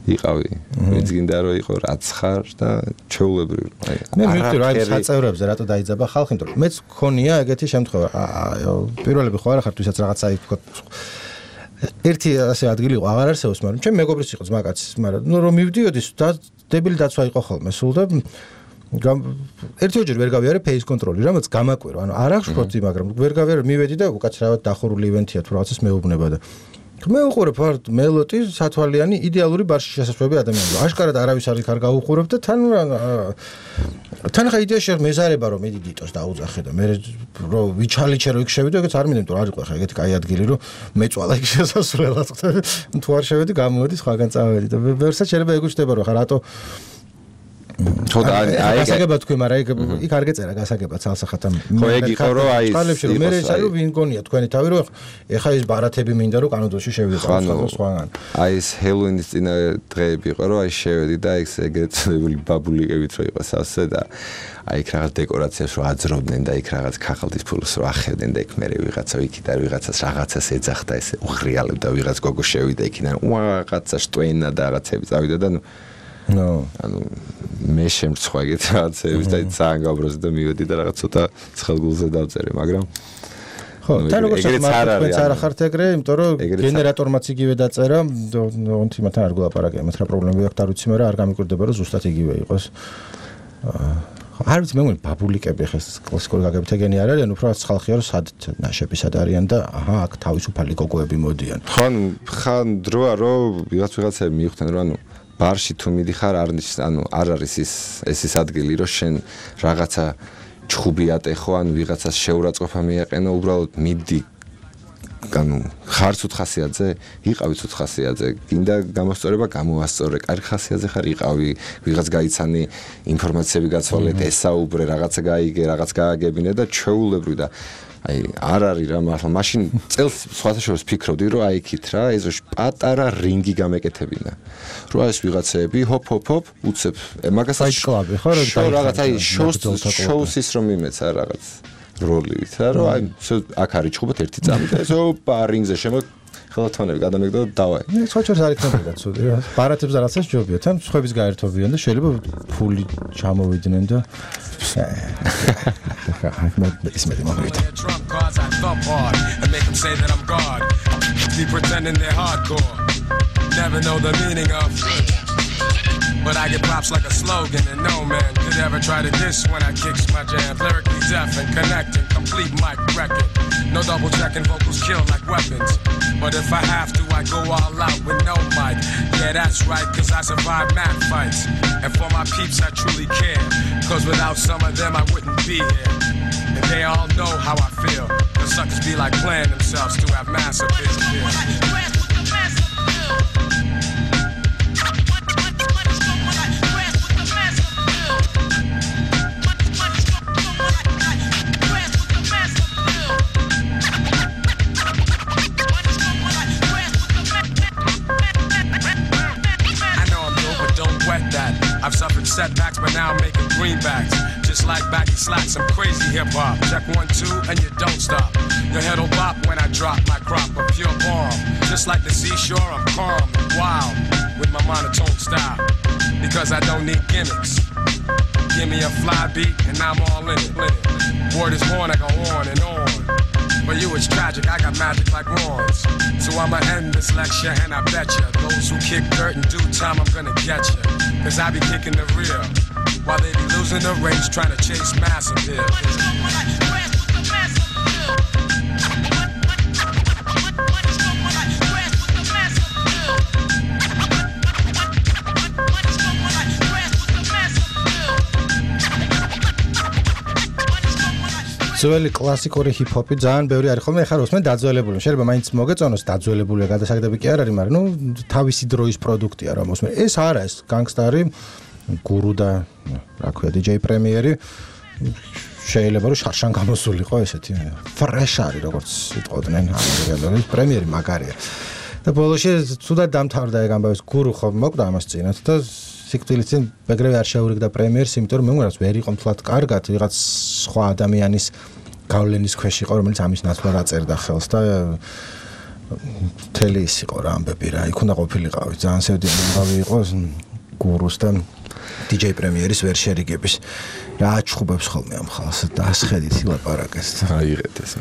იყავი ვინც გინდა რომ იყო რაც ხარ და ჩვეულებრივ აი მე მივხვდი რომ აი საწევრებზე რატო დაიძაბა ხალხი იმიტომ რომ მეც მქონია ეგეთი შემთხვევა პირველები ხო არა ხარ თუსაც რაღაცა თქვა ერთი ასე ადგილი იყო აღარ არსებობს მაგრამ ჩემ მეგობრის იყო ძმაკაცის მაგრამ ნუ რომ მივდიოდი და დებილი დაცვა იყო ხოლმე სულ და ერთიოჯერ ვერ გავიარე ფეის კონტროლი რამაც გამაკვირო ანუ არ აღშფოთი მაგრამ ვერ გავიარე მივედი და უკაცრავად დახურული ივენთია თუ რაღაცას მეუბნება და მე უყურებ ვარ მელოტი სათვალიანი იდეალური ბარში შესაძლებელი ადამიანები. აშკარად არავის არ იქ არ გაუყურებ და თან ხა იდეაში მეზარება რომ ედიტორს დაუძახე და მე რომ ვიჩალიჩე რომ იქ შევიდე ეგეც არ მინდა რომ არ იყო ხა ეგეთი კაი ადგილი რომ მეწვალა იქ შესასვლელად ხტები თუ არ შევედი გამოვედი სხვაგან წავედი და ვერსაც შეიძლება ეგ უჩნდება რომ ხა რატო ხო და აი გასაგება თქვი მაგრამ იქ არ გეწერა გასაგება ცალსახად ამ ხო ეგ იყო რომ აი მე ეს არის რომ ვინ გონია თქვენი თავი რომ ეხა ეს ბარათები მინდა რომ კანონში შევიდე სხვაგან აი ეს ჰელოუინის წინა დღეები იყო რომ აი შევედი და ეს ეგრეთ წოდებული ბაბულიკებით რო იყო სასე და აი იქ რაღაც დეკორაციას რო აძრობდნენ და იქ რაღაც ქაღალდის ფულს რო ახევდნენ და იქ მე ვიღაცა იქით არ ვიღაცას რაღაცას ეძახდა ესე უღრიალებდა ვიღაც გოგო შევიდა იქიდან რაღაცა შტვენა და რაღაცები წავიდა და ანუ მე შემრცხვა ეგეთ რაღაცების და ძალიან გაბროზი და მივედი და რაღაც ცოტა ცხელგულზე დავწერე მაგრამ ხო თან როგორც თქვენც არ ხართ ეგრე იმიტომ რომ გენერატორმაც იგივე დაწერა თიმათან არ გულაპარაკე მათ რა პრობლემები აქვს არ ვიცი მაგრამ არ გამიკვირდება რომ ზუსტად იგივე იყოს არ ვიცი მე მგონი ბაბულიკები ხეს კლასიკური გაგებით ეგენი არ არიან უფრო რაც ხალხია რომ სად ნაშები სად არიან და აჰა აქ თავისუფალი გოგოები მოდიან ხან დროა რომ ვიღაცები მივხვდნენ რომ ანუ ბარში თუ მიდიხარ არ არის ეს ადგილი რომ შენ რაღაცა ჩხუბი ატეხო ან ვიღაცას შეურაცხყოფა მიაყენო უბრალოდ მიდი ანუ ხარც უთხასიაძე იყავი უთხასიაძე გინდა გამოსწორება გამოასწორე კარგი ხასიაძე ხარ იყავი ვიღაც გაიცანი ინფორმაციები გაცვალეთ ესაუბრე რაღაცა გაიგე რაღაც გააგებინე და ჩეულებრივ და აი არ არის რა მართლა მაშინ წელს სხვათა შორის ფიქრობდი რომ აი იქით რა ეზოში პატარა რინგი გამეკეთებინა რომ ეს ვიღაცები ჰოპ უცებ მაგასაც კლუბი ხო რომ რაღაც აი შოუსის რომ იმეცა რაღაც როლივით რა რომ აი აქ არის ჩხუბოთ ერთი წამი და ეს ოპა რინგზე შემო ხელათონები გადამეგდო და დავაი. სხვაჩერს არ იქნებოდა ცუდი რა. ბარათებს რაღაცას ჯობია, თან სხვების გაერთობიან და შეიძლება ფული ჩამოვიდნენ და ის მე მომივიდა. Never know the meaning of But I get props like a slogan and no man could ever try to diss when I kicks my jam. Lyrically deaf and connecting, complete mic wrecking. No double checking, vocals kill like weapons. But if I have to, I go all out with no mic. Yeah, that's right, cause I survive mad fights. And for my peeps, I truly care. Cause without some of them, I wouldn't be here. And they all know how I feel. The suckers be like playing themselves to have massive appeal. I've suffered setbacks, but now I'm making greenbacks. Just like baggy slacks, some crazy hip-hop. Check 1, 2, and you don't stop. Your head'll bop when I drop my crop of pure bomb. Just like the seashore, I'm calm and wild with my monotone style. Because I don't need gimmicks. Give me a fly beat, and I'm all in it. Word is born, I go on and on. For you it's tragic, I got magic like wands. So I'ma end this lecture and I bet ya those who kick dirt in due time I'm gonna get ya. Cause I be kicking the real while they be losing the race trying to chase massive appeal. ძველი კლასიკური ჰიპ-ჰოპი ძალიან ბევრი არის ხოლმე ეხლა როსმენ დაძველებული შეიძლება მაინც მოგეწონოს დაძველებული გადასაგდები კი არ არის მაგრამ ნუ თავისი დროის პროდუქტია რა მოსმენ ეს არა ეს განგსტარი გურუ და რა ქვია DJ პრემიერი შეიძლება რომ შარშან გამოსულიყო ესეთი ფრეშ არის როგორც იტყოდნენ ამერიკელები პრემიერი მაგარია და ბოლოში თუდად დამთავრდა ეგ ამბავი გურუ ხო მოკვდა ამას წინათ და სიკვდილიცინ მეგრევე არ შეურიგდა პრემიერს, იმიტომ რომ მე მგონი ვერ იყო მთლად კარგად, ვიღაც სხვა ადამიანის გავლენის ქვეშ იყო, რომელიც ამის ნაცვლად აწერდა ხელს და მთელი ის იყო რა ამბები რა, იქ უნდა ყოფილიყავი, ძალიან სევდიანი ამბავი იყო გურუს და DJ პრემიერის ვერ შერიგების. რა აჩხუბებს ხოლმე ამ ხალხს და ასხედით ილაპარაკეს. აიღეთ ეს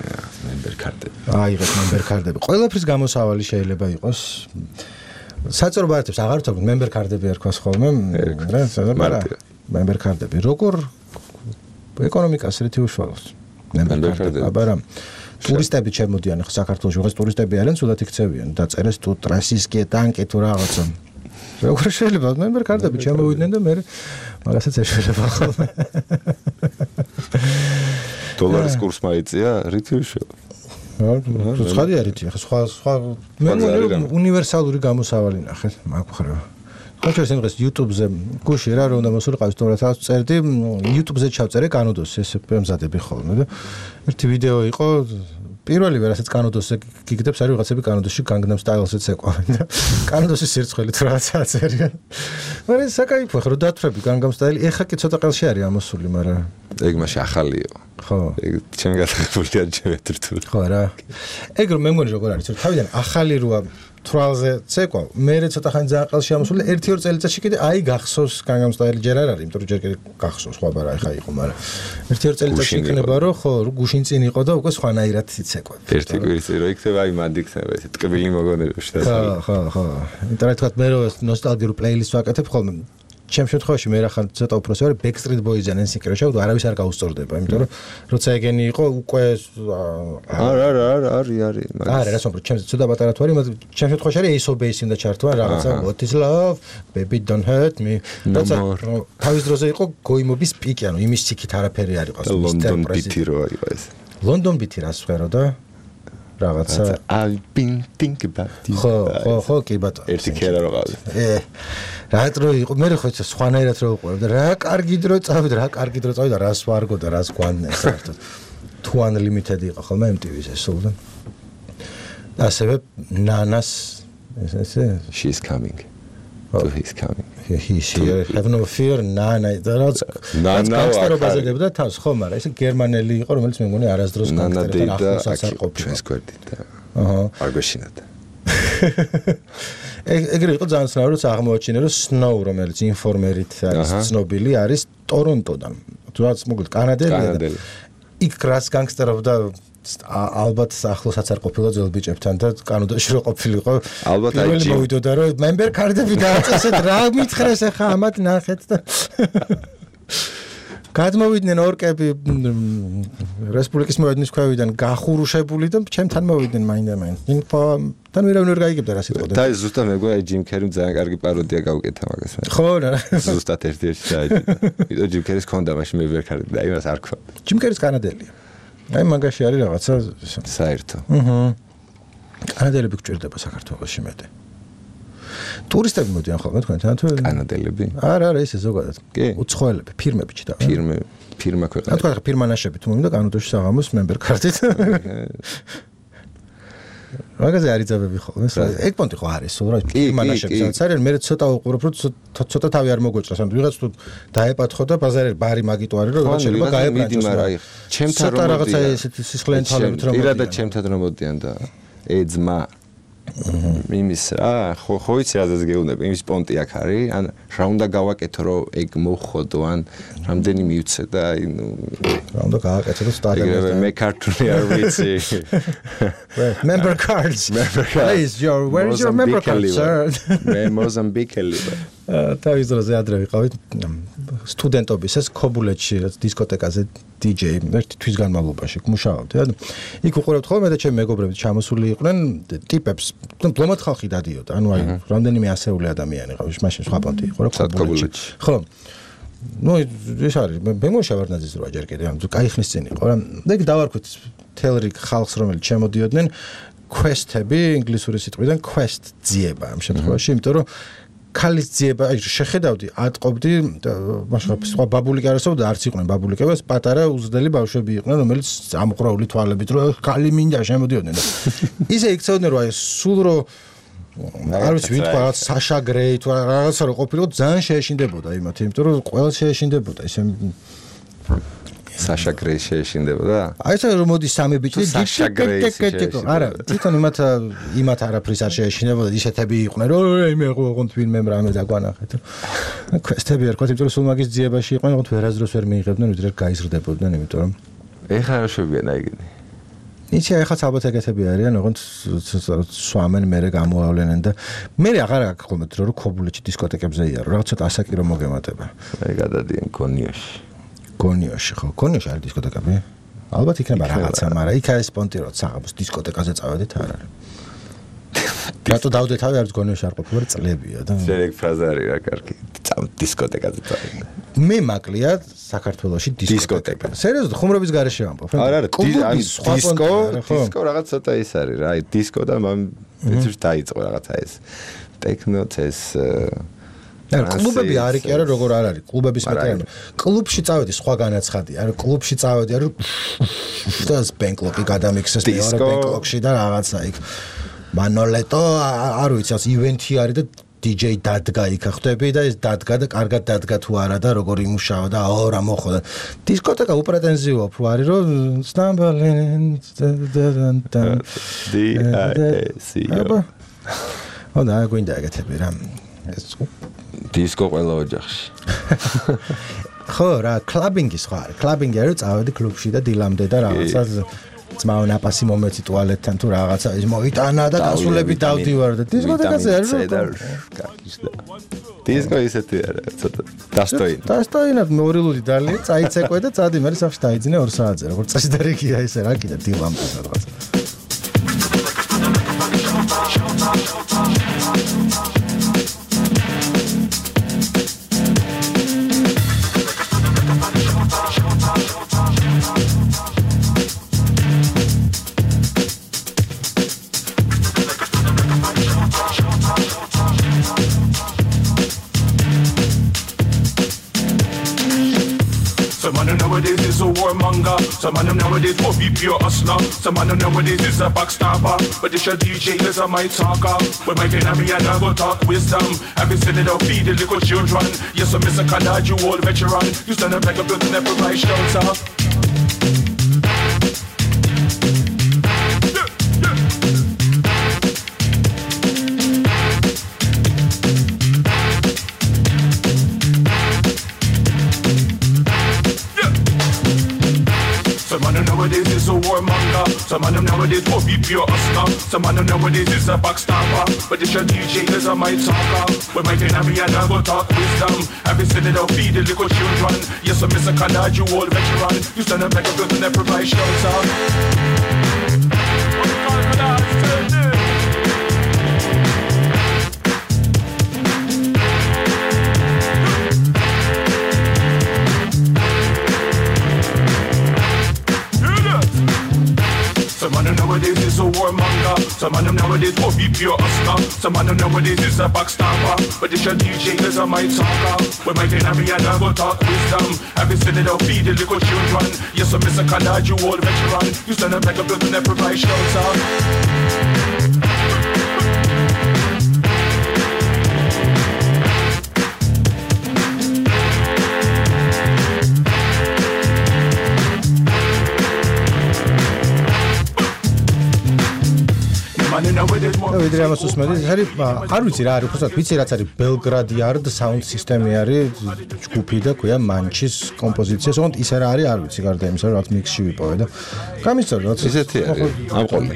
მემბერ კარტები. აიღეთ მემბერ კარტები. ყველაფრის გამოსავალი შეიძლება იყოს საწყო ბარათებს აღარ ვთქვი მემბერ კარტები ერქვას ხოლმე რა მემბერ კარტები როგორ ეკონომიკას რითი უშუალოს მემბერ კარტები აბარა ტურისტები შემოდიან ხო საქართველოში ვიღაც ტურისტები არიან სულად იქცევიან დაწერეს თუ ტრასისკი ტანკი თუ რაღაცა როგორ შეიძლება მემბერ კარტები შემოვიდნენ და მე მაგასაც ეშველება ხოლმე დოლარის კურსი მაიწია რითი უშუალოს ცხადი არითი ხო სხვა მე უნივერსალური გამოსავალი ნახეთ მაგ ხრევა ხო ჩვენ დღეს YouTube-ზე გუში რა რომ უნდა მოსულიყავი თუ რაღაც წერდი YouTube-ზე ჩავწერე კანოდოს ეს მზადები ხოლმე და ერთი ვიდეო იყო პირველივე რასაც კანოდოსზე გიგდებს არის ვიღაცები კანოდოსში განგნამ სტაილზეც ეყვავენ და კანოდოსის სირცხვილით რაღაცა აწერიან მაგრამ საკაიფო ხო რომ დათვრები განგამ სტაილი ეხა კი ცოტა ყელში არის ამოსული მაგრამ ეგ მაშინ ახალიო ხო ეგ ჩემ გასაგებია ჯერტრთული ხო რა ეგ რომ მე მგონი როგორ არის რომ თავიდან ახალი როა თვალზე ცეკვა მე ცოტა ხანი ძალიან ყელში ამოსული 1-2 წელიწადში კიდე აი გახსოვს განგამ სტაილი ჯერ არ არის იმიტომ რომ ჯერ კიდე გახსოვს სხვა ბარა ეხა იყო მაგრამ 1-2 წელიწადში იქნება რომ ხო გუშინ წინ იყო და უკვე სხვანაირად იცეკვა ერთი კვირის წინ რო იქნება აი მანდ იქნება ეს ტკბილი მოგონებებში ხო იმიტომ რომ თქვა მე რო ნოსტალგიურ პლეილისტს ვაკეთებ ხოლმე ჩემ შემთხვევაში მე რა ხან ცოტა უпроსე ვარ Backstreet Boys-იან NSYNC-რა შევდო არავის არ გაუსწორდება იმიტომ რომ როცა ეგენი იყო უკვე არა რა სომბრო ჩემს ცოტა პატარა თუ არის ჩემ შემთხვევაში არის Ace of Base უნდა ჩართვა რაღაცა What is love baby don't hurt me როცა თავის დროზე იყო გოიმობის პიკი ანუ იმის ციკით არაფერი არ იყო London Beat-ი რო იყო ეს London Beat-ი რას ვღერო და რაღაცა I've been thinking about you ხო კი ბატონო ერთი ქერა რო ყავდა რატრო იყო მე ხო სხვანაირად რო უყურებ და რა კარგი დრო წავიდა რა კარგი დრო წავიდა რას ვარგო და რას გვანდა საერთოდ თუ unlimited იყო ხოლმე MTV-ს ეს სულდა ასევე ნანას ესე she's coming to his coming he's here have no fear ნანა და რაც განგსტერობაზე დებდა თავს ხო მაგრამ ეს გერმანელი იყო რომელიც მე მგონი არასდროს განგსტერთან ახლოსაც არ ყოფილა ჩვენს გვერდით და არ გვეშინოდა ეგრე იყო ძალიან ცნაური რომ აღმოაჩინე რომ Snow რომელიც ინფორმერით არის ცნობილი არის ტორონტოდან თუნდაც მოკლედ კანადელი იქ რას განგსტერობდა ალბათ ახლოსაც არ ყოფილა ძველ ბიჭებთან და კანონაში რო ყოფილიყო ალბათ აი მოვიდოდა რომ member card-ები დააწესეთ რა მითხრეს ახლა ამათ ნახეთ და გადმოვიდნენ ორკები რესპუბლიკის მოედნის ქვევიდან გახურუშებული და ჩემთან მოვიდნენ მაინდა-მაინც თან ვერავინ ვერ გაიგებდა რა სიტყვა და ზუსტად მეგონა ჯიმ კერიმ ძალიან კარგი პაროდია გავუკეთა მაგას ხო რა ზუსტად ერთ-ერთი დაიჭირა ჯიმ კერის ქონდა მაშინ member card და იმას არ ქვა ჯიმ კერის კანადელია აი მაგაში არის რაღაცა საერთო. კანადელები გჭირდება საქართველოში მეტი. ტურისტები მოდიან ხოლმე თქვენთან თუ კანადელები? არა, ისე ზოგადად. უცხოელები, ფირმები ჩიტა. ფირმა ქვეყანა. თქვა ხა ფირმა ნაშები თუ მომიდა კანადაში საღამოს member card-ით. მაგაზე არის ძაბები ხოლმე. ეგ პონტი ხო არის, სულ რა ფირმა ნაშები სადაც არის, მე ცოტა უყურებ რომ ცოტა თავი არ მოგოჭრას, ანუ ვიღაც თუ დაეპათხო და ბაზარი ბარი მაგიტო არის რომ რაღაც შეიძლება გაებრანჭოს. ჩემთან რომ რაღაცა ესეთი სისხლიანი თვალებით რომ მოდიან. ირადა ჩემთან რომ მოდიან და ეძმა იმის რა ხო იცი რაზეც გეუბნები იმის პონტი აქ არის ან რა უნდა გავაკეთო რომ ეგ მოხოდო ან რამდენი მივცე და აი ნუ რა უნდა გავაკეთო რომ სტადიონზე მე ქართული არ ვიცი member cards please where is your member card sir მე მოზამბიკელი თავის დროზე ადრე ვიყავით სტუდენტობის ეს ქობულეთში რაც დისკოტეკაზე DJ ერთი თვის განმავლობაში მუშაობდი და იქ უყურებთ ხოლმე და ჩემი მეგობრები ჩამოსული იყვნენ ტიპებს ბლომად ხალხი დადიოდა ანუ აი რამდენიმე ასეული ადამიანი ყავს მაშინ სხვა პონტი იყო რა ქობულეთში ხო ნუ ეს არის მე მოშავარდნაძის რვა ჯერ კიდე ანუ კაი ხნის წინ იყო რა და იქ დავარქვით თელრიგ ხალხს რომელიც ჩემოდიოდნენ quest-ები ინგლისური სიტყვიდან quest ძიება ამ შემთხვევაში იმიტომ რომ ქალის ძიება აი შეხედავდი ატყობდი მაშინ სხვა ბაბულიკი არასწორდა არც იყვნენ ბაბულიკებს პატარა უზრდელი ბავშვები იყვნენ რომელიც ამყრაული თვალებით რომ ქალი მინდა შემოდიოდნენ და ისე იქცეოდნენ რომ აი სულ რომ არ ვიცი ვიტყვა რაღაც საშა გრეი თუ რაღაცა რო ყოფილიყო ძალიან შეეშინდებოდა იმათ იმიტომ რომ ყველა შეეშინდებოდა ისე საშა გრეი შეეშინდებოდა აი ეს რომ მოდი სამი ბიჭი არა თვითონ იმათ არაფრის არ შეეშინდებოდა ისეთები იყვნენ რომ მე ოღონდ ვინმე რამე დაგვანახეთ quest-ები ერქვა იმიტომ რომ სულ მაგის ძიებაში იყვნენ ოღონდ ვერასდროს ვერ მიიღებდნენ ვიდრე გაიზრდებოდნენ იმიტომ რომ ეხლა რა შევიგენ აიგენი იცი ახაც ალბათ ეგეთები არიან ოღონდ სვამენ მერე გამოავლენენ და მე აღარ აქვს ხოლმე რომ ქობულეთში დისკოტეკებზე იარო რაღაც ცოტა ასაკი რომ მოგემატება აი გადადიან გონიოში ხო გონიოში არის დისკოტეკები ალბათ იქნება რაღაცა მაგრამ იქ არის პონტი რომ საღამოს დისკოტეკაზე წავედით არ არის რატო დავდე თავი არის გონიოში არ ყოფილა წლებია და ზერეგ ფრაზა არის რა კარგი დისკოტეკაზე წავედით მე მაკლია საქართველოში დისკოტეკა სერიოზულად ხუმრობის garaშე ვამბობ არა დისკო რაღაც ცოტა ის არის რა აი დისკო და მეც დაიწყო რაღაცა ეს ტექნოც ეს კლუბები არის კი არა როგორ არ არის კლუბების მეტყვი კლუბში წავედი სხვა განაცხადია არა კლუბში წავედი არა და ბენკლოკი გადამიქსეს მეორე ბენკლოკში და რაღაცა იქ მანოლეტო არ ვიცი ეს ივენთი არის და DJ დადგა იქ ხვდები და ეს დადგა და კარგად დადგა თუ არა და როგორ იმუშავა და აო რა მოხდა დისკოტეკა უპრეტენზიოა თუ არის რომ სტამბოლენ და გვინდა ეგეთები რა დისკო ყველა ოჯახში ხო რა კლაბინგი სხვა არის კლაბინგი არის წავედი კლუბში და დილამდე და რაღაცა ძმაო ნაპასი მომეცი ტუალეტთან თუ რაღაცა ის მოიტანა და გასულები დავდივარ და დისკოტეკაზე არის დისკო ისეთი არა, ცოტა დასტოინი. დასტოინად მორილული დალია, წაიცეკვე და წადი მე სახში დაიძინე 2 საათზე, როგორც წესდარიგია ესე რა კიდე დილამპას რაღაც. Some man nowadays is a warmonger. Some man nowadays will be pure hustler. Some man nowadays is a backstabber. But this your DJ is a my talker. When my pen me and I go talk wisdom. Have been sitting down feed the little children. Yes, I'm Mr. Collard, you old veteran. You stand up like a building that provides shelter. Nowadays is a warmonger. Some man nowadays will be pure hustler. Some man nowadays is a backstabber. But this your DJ is a my talker. When my pen me and I go talk wisdom. Have been sitting down feed the little children. Yes, I'm Mr. Collard, you old veteran. You stand up like a building that provides shelter. Some man nowadays is a warmonger. Some man nowadays will be pure hustler. Some man nowadays is a backstabber. But this your DJ is a my talker. When my pen me and I go talk wisdom. Have been sitting down feed the little children. Yes, I'm Mr. Collard, you old veteran. You stand up like a building that provides shelter. ვიდრე ამას უსმენთ, არის არ ვიცი რა არის, უბრალოდ ვიცი რაც არის Belgrade Yard sound system-ი არის ჯგუფი და ქვია Manchis კომპოზიცია, თუმცა ის რა არის არ ვიცი, გარდა იმისა, რაც mix-ში ვიპოვე და გამისწორე რაც ისეთი არის. ამ ყოლი.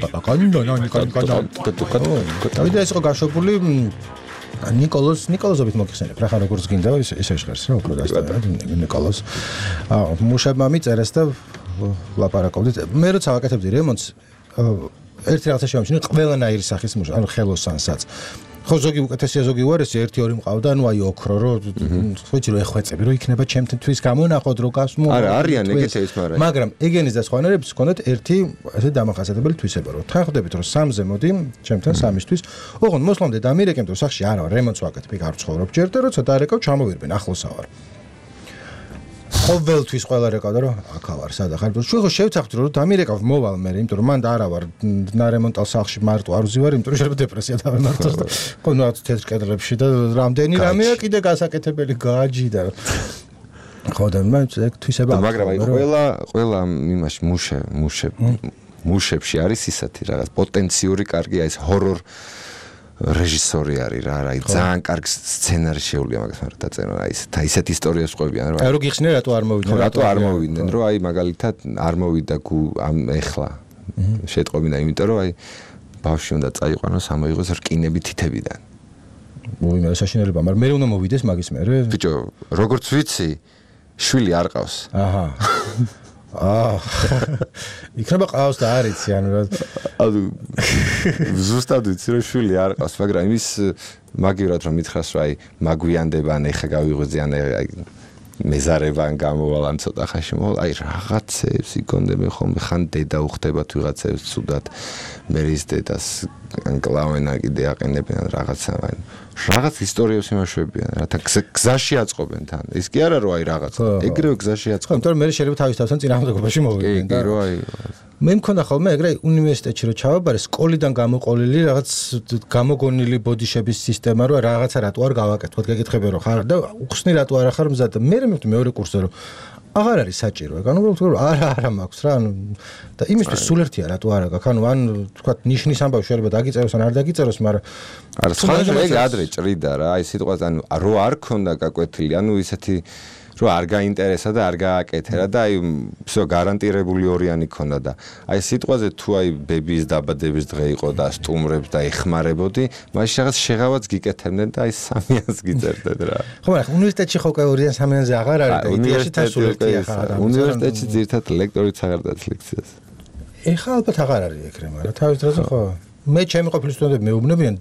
და ეს იყო გაშვებული ნიკოლოზობით მოგხსენებ, რა ხარ როგორც გინდა ისე ჟღერს რა უფრო დასტა ნიკოლოზ. მუშებმა მიწერეს და ლაპარაკობდით. მე როცა ვაკეთებდი რემონტს ერთი რაღაცა შევამჩნი ყველანაირი სახის მუშა, ანუ ხელოსანსაც. ხო ზოგი უკეთესია ზოგი უარესი, 1-2 მყავდა, ანუ აი ოქრო რო ვიცი რო ეხვეწები, რო იქნება ჩემთვის გამონახოთ რო გასმო. არა, არიან ეგეთების მაგრამ ეგენის და სხვანაირების ჰქონდათ ერთი ესე დამახასიათებელი თვისება, რომ თან ხვდებით რომ 3-ზე მოდი, ჩემთან 3-ისთვის. ოღონდ მოსლამდე დამირეკემ, რომ სახში არა, რემონტს ვაკეთებ, იქ არ ვცხოვრობ ჯერ და როცა დარეკავ, ჩამოვირბენ, ახლოსა ვარ. ყოველთვის ყველა რეკავდა რომ აქა ვარ სადა ხარ ჩვენ ხო შევცახთ რომ დამირეკავ მოვალ მე იმიტომ რომ მან და არა ვარ ნარემონტალ სახლში მარტო არ ვზივარ იმიტომ რომ შეიძლება დეპრესია დავემართოს და ხო ნუ თეთრ კედლებში და რამდენი რამეა კიდე გასაკეთებელი გააჯი და ხო და მე თვისება მაგრამ აი ყველა იმაში მუშებში არის ისეთი რაღაც პოტენციური კარგი აი ეს ჰორორ რეჟისორი არის რა, აი ძალიან კარგი სცენარი შეუძლია მაგას მაგრამ დაწერა აი ისეთ ისტორიას ყვებიან რა. აი რო გიხსნე რატო არ მოვიდნენ? რატო არ მოვიდნენ? რომ აი მაგალითად არ მოვიდა ამ ეხლა. შეტყობინა იმიტომ რომ აი ბავშვი უნდა წაიყვანოს ამოიღოს რკინები თითებიდან. მოიმა საშინელება, მაგრამ მე უნდა მოვიდეს მაგის მერე. ბიჭო, როგორც ვიცი, შვილი არ ყავს. აჰა. იქნება ყავს და არ იცი ანუ ზუსტად ვიცი რომ შვილი არ ყავს მაგრამ იმის მაგივრად რომ მითხრას რომ აი მაგვიანდება ან ეხა გავიღვიძე ან აი მეზარება ან გამოვალ ან ცოტა ხანში მოვალ აი რაღაცებს იქონდები ხოლმე ხან დედა უხდებათ ვიღაცებს ცუდად მე ის დედას ან კლავენა კიდე აყენებენ ან რაღაცა აი რაღაც ისტორიებს იმაშვებიან რათა გზაში აწყობენ თან ის კი არა რომ აი რაღაც ეგრევე გზაში აწყობენ იმიტომ რომ მე შეიძლება თავის თავთან წინააღმდეგობაში მოვიდნენ და რომ აი მე მქონდა ხოლმე ეგრე უნივერსიტეტში რომ ჩავაბარე სკოლიდან გამოყოლილი რაღაც გამოგონილი ბოდიშების სისტემა რომ რაღაცა რატო არ გავაკეთოთ გეკითხები რომ ხარ და უხსნი რატო არ ახარ მზად მე მივხვდი მეორე კურსზე რომ აღარ არის საჭირო ეგ ანუ რომ არა მაქვს რა ანუ და იმისთვის სულ ერთია რატო არა გაქვს ანუ ან თქვა ნიშნის ამბავი შეიძლება დაგიწეროს ან არ დაგიწეროს მაგრამ არა სხვა ეგ ადრე ჭრიდა რა აი სიტყვას ანუ რო არ ქონდა გაკვეთილი ანუ ისეთი რომ არ გაინტერესა და არ გააკეთერა და აი всё გარანტირებული ორიანი ქონდა და აი სიტყვაზე თუ აი ბებიის დაბადების დღე იყო და სტუმრებს და ეხმარებოდი, მაშინ რაღაც შეღავაც გიკეთებდნენ და აი 300-ს გიწერდეთ რა. ხო, მაგრამ უნივერსიტეტში ხო კაურიან 300-ზე აღარ არის და იდეაში თასულეთი ახლა უნივერსიტეტში ძირთად ლექტორიც აღარ დაц ლექციას. ეხლა ალბათ აღარ არის ეგრე, მაგრამ თავის დროზე ხო მე ჩემი ყოფილი სტუდენტები მეუბნებიან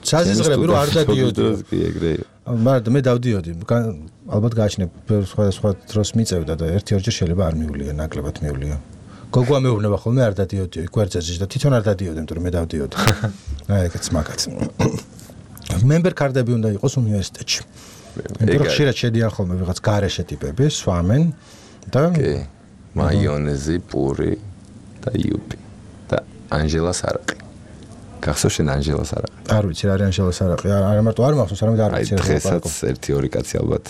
საზიზღრები რომ არ დადიოდი. კი ეგრე იყო. მაგრამ მე დავდიოდი. ალბათ გააჩნია სხვა დროს მიწევდა და ერთი-ორჯერ შეიძლება არ მივლია, ნაკლებად მივლია. გოგოა მეუბნება ხოლმე არ დადიოდი, გვერდზეში და თვითონ არ დადიოდი, იმიტომ რომ მე დავდიოდი. აი ეგეც მაგაც. მემბერ კარდები უნდა იყოს უნივერსიტეტში. იმიტომ რომ ხშირად შედიან ხოლმე ვიღაც გარეშე ტიპები, სვამენ და მაიონეზი, პური და იუპი და ანჟელა სარაყი. გახსოვს შენ ანჟელა სარაყი? არ ვიცი რა არის ანჟელა სარაყი, არა მარტო არ მახსოვს, არამედ არ ვიცი. აი დღესაც 1-2 კაცი ალბათ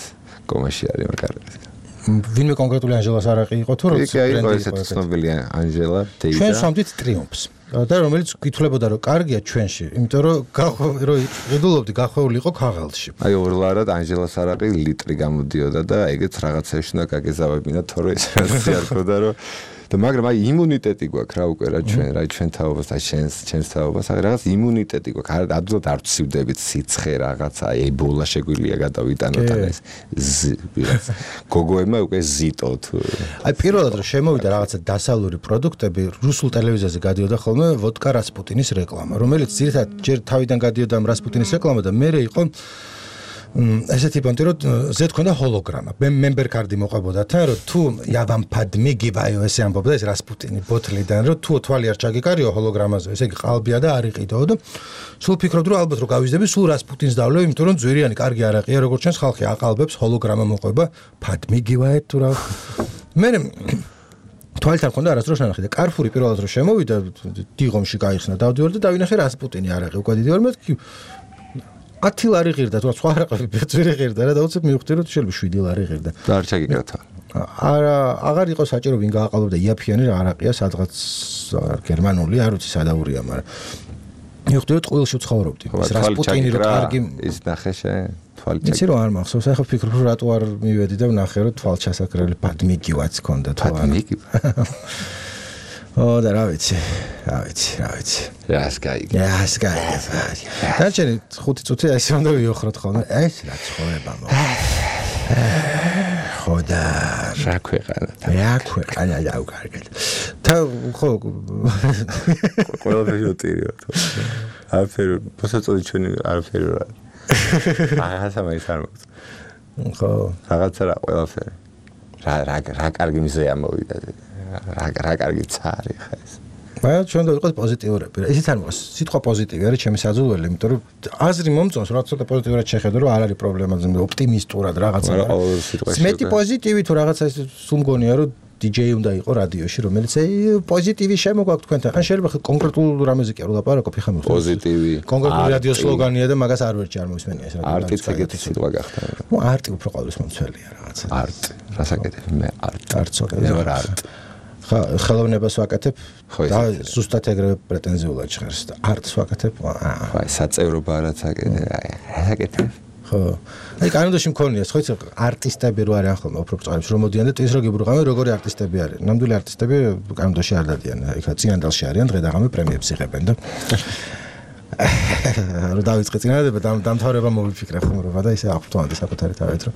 კომაში არის მაგარებს. ვინმე კონკრეტული ანჟელა სარაყი იყო თუ რო იყო ესეთი ცნობილი ანჟელა დეიდა. ჩვენ სამდით ტრიუმფს. და რომელიც გითვლებოდა რომ კარგია ჩვენში, იმიტომ რომ ღიდულობდი გახვეული იყო ქაღალდში. აი ორლარად ანჟელა სარაყი ლიტრი გამოდიოდა და ეგეც რაღაცაში უნდა გაგეზავებინა, თორე ეს რაღაცა არ ქონდა რომ და მაგრამ აი იმუნიტეტი გვაქვს რა უკვე რა ჩვენ თაობას და ჩვენს თაობას აი რაღაც იმუნიტეტი გვაქვს ადვილად არ ვცივდებით სიცხე რაღაცა ებოლა შეგვიძლია გადავიტანოთ ან ეს გოგოებმა უკვე ზიტოთ აი პირველად რომ შემოვიდა რაღაცა დასავლური პროდუქტები რუსულ ტელევიზიაზე გადიოდა ხოლმე ვოდკა რასპუტინის რეკლამა რომელიც ძირითადად ჯერ თავიდან გადიოდა რასპუტინის რეკლამა და მერე იყო ესეთი პონტი რომ ზე თქონდა ჰოლოგრამა მემბერ კარდი მოყვებოდა თან რომ თუ იავან ფადმი გიბაიო ესე ამბობდა ეს რასპუტინი ბოთლიდან რომ თუ თვალი არ ჩაგიკარიო ჰოლოგრამაზე ესე იგი ყალბია და არ იყიდო და სულ ფიქრობდი რომ ალბათ რომ გავიზდები სულ რასპუტინს დავლევ იმიტომ რომ ძვირიანი კარგი არაყია როგორც ჩვენს ხალხი აყალბებს ჰოლოგრამა მოყვება ფადმი გიბაიო თუ რა მე თვალთან ხონდა არასდროს ნახე და კარფური პირველად რომ შემოვიდა დიღომში გაიხსნა დავდივარ და დავინახე რასპუტინი არაყი უკვე დიდივარ მე 10 ლარი ღირდა თუ სხვა რაყები ბეწვირი ღირდა რა დაუცებ მივხვდი რომ შეიძლება 7 ლარი ღირდა და არ ჩაგიკრათა არა აღარ იყო საჭირო ვინ გააყალბებდა იაფიანი რა არაყია სადღაც გერმანული არ ვიცი სადაურია მაგრამ მივხვდი რომ ტყუილში ვცხოვრობდი ეს რასპუტინი რო კარგი ის ნახე შენ თვალი ჩაკრა იცი რომ არ მახსოვს ახლა ვფიქრობ რომ რატო არ მივედი და ვნახე რომ თვალ ჩასაკრელი პადმიგივაც ქონდა თუ არა Oh, da ravitsi. Raskay. Დაჩენი 5 წუთი ესე უნდა ვიოხროთ ხოლმე. ეს რა ცხოვრება მო. ხოდა რა ქვეყანა დაუკარგეთ. და ხო ყველაფერი უტირიო თუ. არაფერი პოსაწოდი ჩვენი არაფერი რა. რაღაცა მაინც არ მოხდა. ხო რაღაცა რა ყველაფერი. რა კარგი მიზეა მოვიდა. რა კარგი цаრი ხა ეს. მაგრამ ჩვენ დავიყოთ პოზიტიურები. ესეც არ მოხდა. სიტყვა პოზიტივი არის ჩემი საძულველი, იმიტომ რომ აზრი მომწონს, რა ცოტა პოზიტიურად შეხედო, რომ არ არის პრობლემა, ოპტიმისტურად რაღაცა. მეტი პოზიტივი თუ რაღაცა ის სულ მგონია, რომ DJ უნდა იყო რადიოში, რომელიც პოზიტივი შემოგვაქვს თქვენთან. ან შეიძლება კონკრეტულ რამეზე კი არ ვლაპარაკობ, ხა მოხდა. პოზიტივი. კონკრეტული რადიო სლოგანია და მაგას არ ვერჩი არ მომისმენია ეს რადიო. არტიც ეგეთი სიტყვა გახდა. ნუ არტი უფრო ყოველთვის მომცველია რაღაცა. არტ. რასაკეთებ მე არტ. მე ვარ არტ. ხელოვნებას ვაკეთებ და ზუსტად ეგრევე პრეტენზიულად ჟღერს და არტს ვაკეთებ. აი საწევრობა რაც აკეთებ. ხო. აი კანონში მქონია, ხო იცი არტისტები რო არიან ხოლმე უფრო წარებს რომ მოდიან და ტის რო გიბრუღავენ როგორი არტისტები არიან. ნამდვილი არტისტები კანონში არ დადიან. აი ხა წინანდალში არიან დღე და ღამე პრემიებს იღებენ და რა დავიწყე წინადადება დამთავრება მოვიფიქრე ხუმრობა და ისე აღვთოვანდი საკუთარი თავით რომ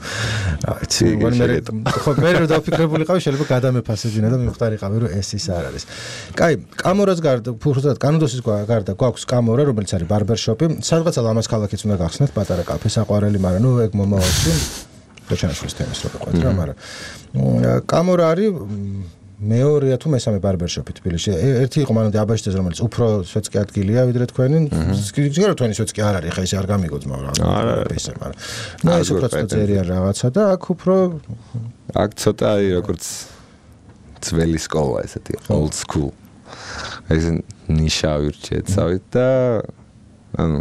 რა ვიცი მე რო დავფიქრებულიყავი შეიძლება გადამეფასებინა და მივხვდარიყავი რომ ეს ის არ არის. კაი, კამორას გარდა ფუხრად კანონდოსის გარდა გვაქვს კამორა რომელიც არის ბარბერშოპი. სადღაცა ლამაზ ქალაქიც უნდა გახსნათ პატარა კაფე საყვარელი, მაგრამ ნუ ეგ მომავალში დაჩანაშვილის თემის რო ვიყავით რა, მაგრამ კამორა არის მეორე თუ მესამე ბარბერშოპი თბილისში. ერთი იყო მანამდე აბაშიძეს რომელიც უფრო სვეტსკი ადგილია ვიდრე თქვენი. ზოგადად თქვენი სვეტსკი არ არის, ხა ისე არ გამიგოძმა რა. ისე, მაგრამ ნუ ეს უფრო წერია რაღაცა და აქ უფრო აქ ცოტა არის როგორც ძველი სკოლა ესეთი old school. ეს ნიშა ვირჩიეთ და ანუ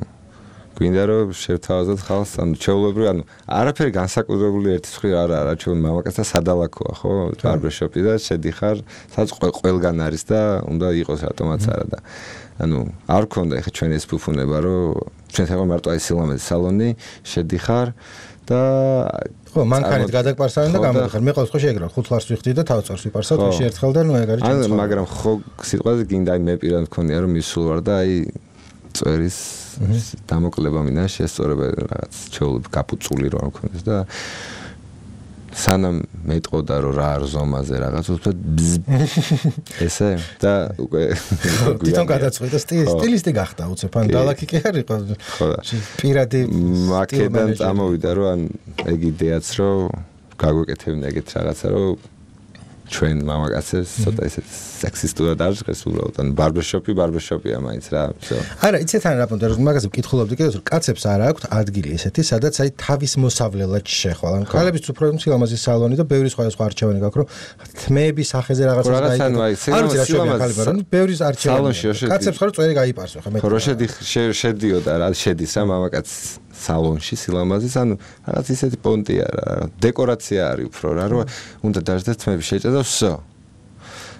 გვინდა რომ შევთავაზოთ ხალხს, ანუ ჩვეულებრივი, ანუ არაფერი განსაკუთრებული ერთის მხრივ არ არა, ჩვენ მამაკაცთა სადალაქოა, ხო, ბარბერშოპი და შედიხარ, სადაც ყველგან არის და უნდა იყოს რატომაც არა და ანუ არ გქონდა ეხა ჩვენ ეს ფუფუნება, რომ ჩვენ თვითონ მარტო აი სილამაზის სალონი, შედიხარ და ხო, მანქანით გადაგპარსავენ და გამოდიხარ. მე ყოველთვის ხო შეგროვ 5 ლარს ვიხდი და თავწარს ვიპარსავ თვეში ერთხელ და ნუ ეგ არის ჩემი. მაგრამ ხო სიტყვაზე გინდა აი მე პირად მქონია რომ მისულ ვარ და აი წვერის დამოკლება მინდა შესწორება რაღაც ჩეულები გაფუწული რა მქონდეს და სანამ მეტყოდა რომ რა არ ზომაზე რაღაც უბრალოდ ესე და უკვე თვითონ გადაწყვიტა სტილისტი გახდა უცებ ან დალაკი კი არ იყო პირადი მაკედან წამოვიდა რომ ან ეგ იდეაც რომ გაგვეკეთებინა ეგეთ რაღაცა რომ ჩვენ მამაკაცებს ცოტა ისე სექსისტურად არ ჟღერს უბრალოდ ან ბარბერშოპია მაინც რა არა იცით ან რა პონტა რომ მაგაზე ვკითხულობდი კიდევ რომ კაცებს არ აქვთ ადგილი ესეთი სადაც აი თავის მოსავლელად შეხვალ ან ქალებიც უფრო სილამაზის სალონი და ბევრი სხვა არჩევანი გაქვს რომ თმეების სახეზე რაღაცას გაიგო არ ვიცი რა შეიძლება რომ ბევრი არჩევანი კაცებს ხარ წვერი გაიპარსო ხა მე ხო შედიოდა რა შედის რა მამაკაც სალონში სილამაზის ანუ რაღაც ისეთი პონტია რა დეკორაცია არის უფრო რა რომ უნდა დაждать თმები შეჭა და всё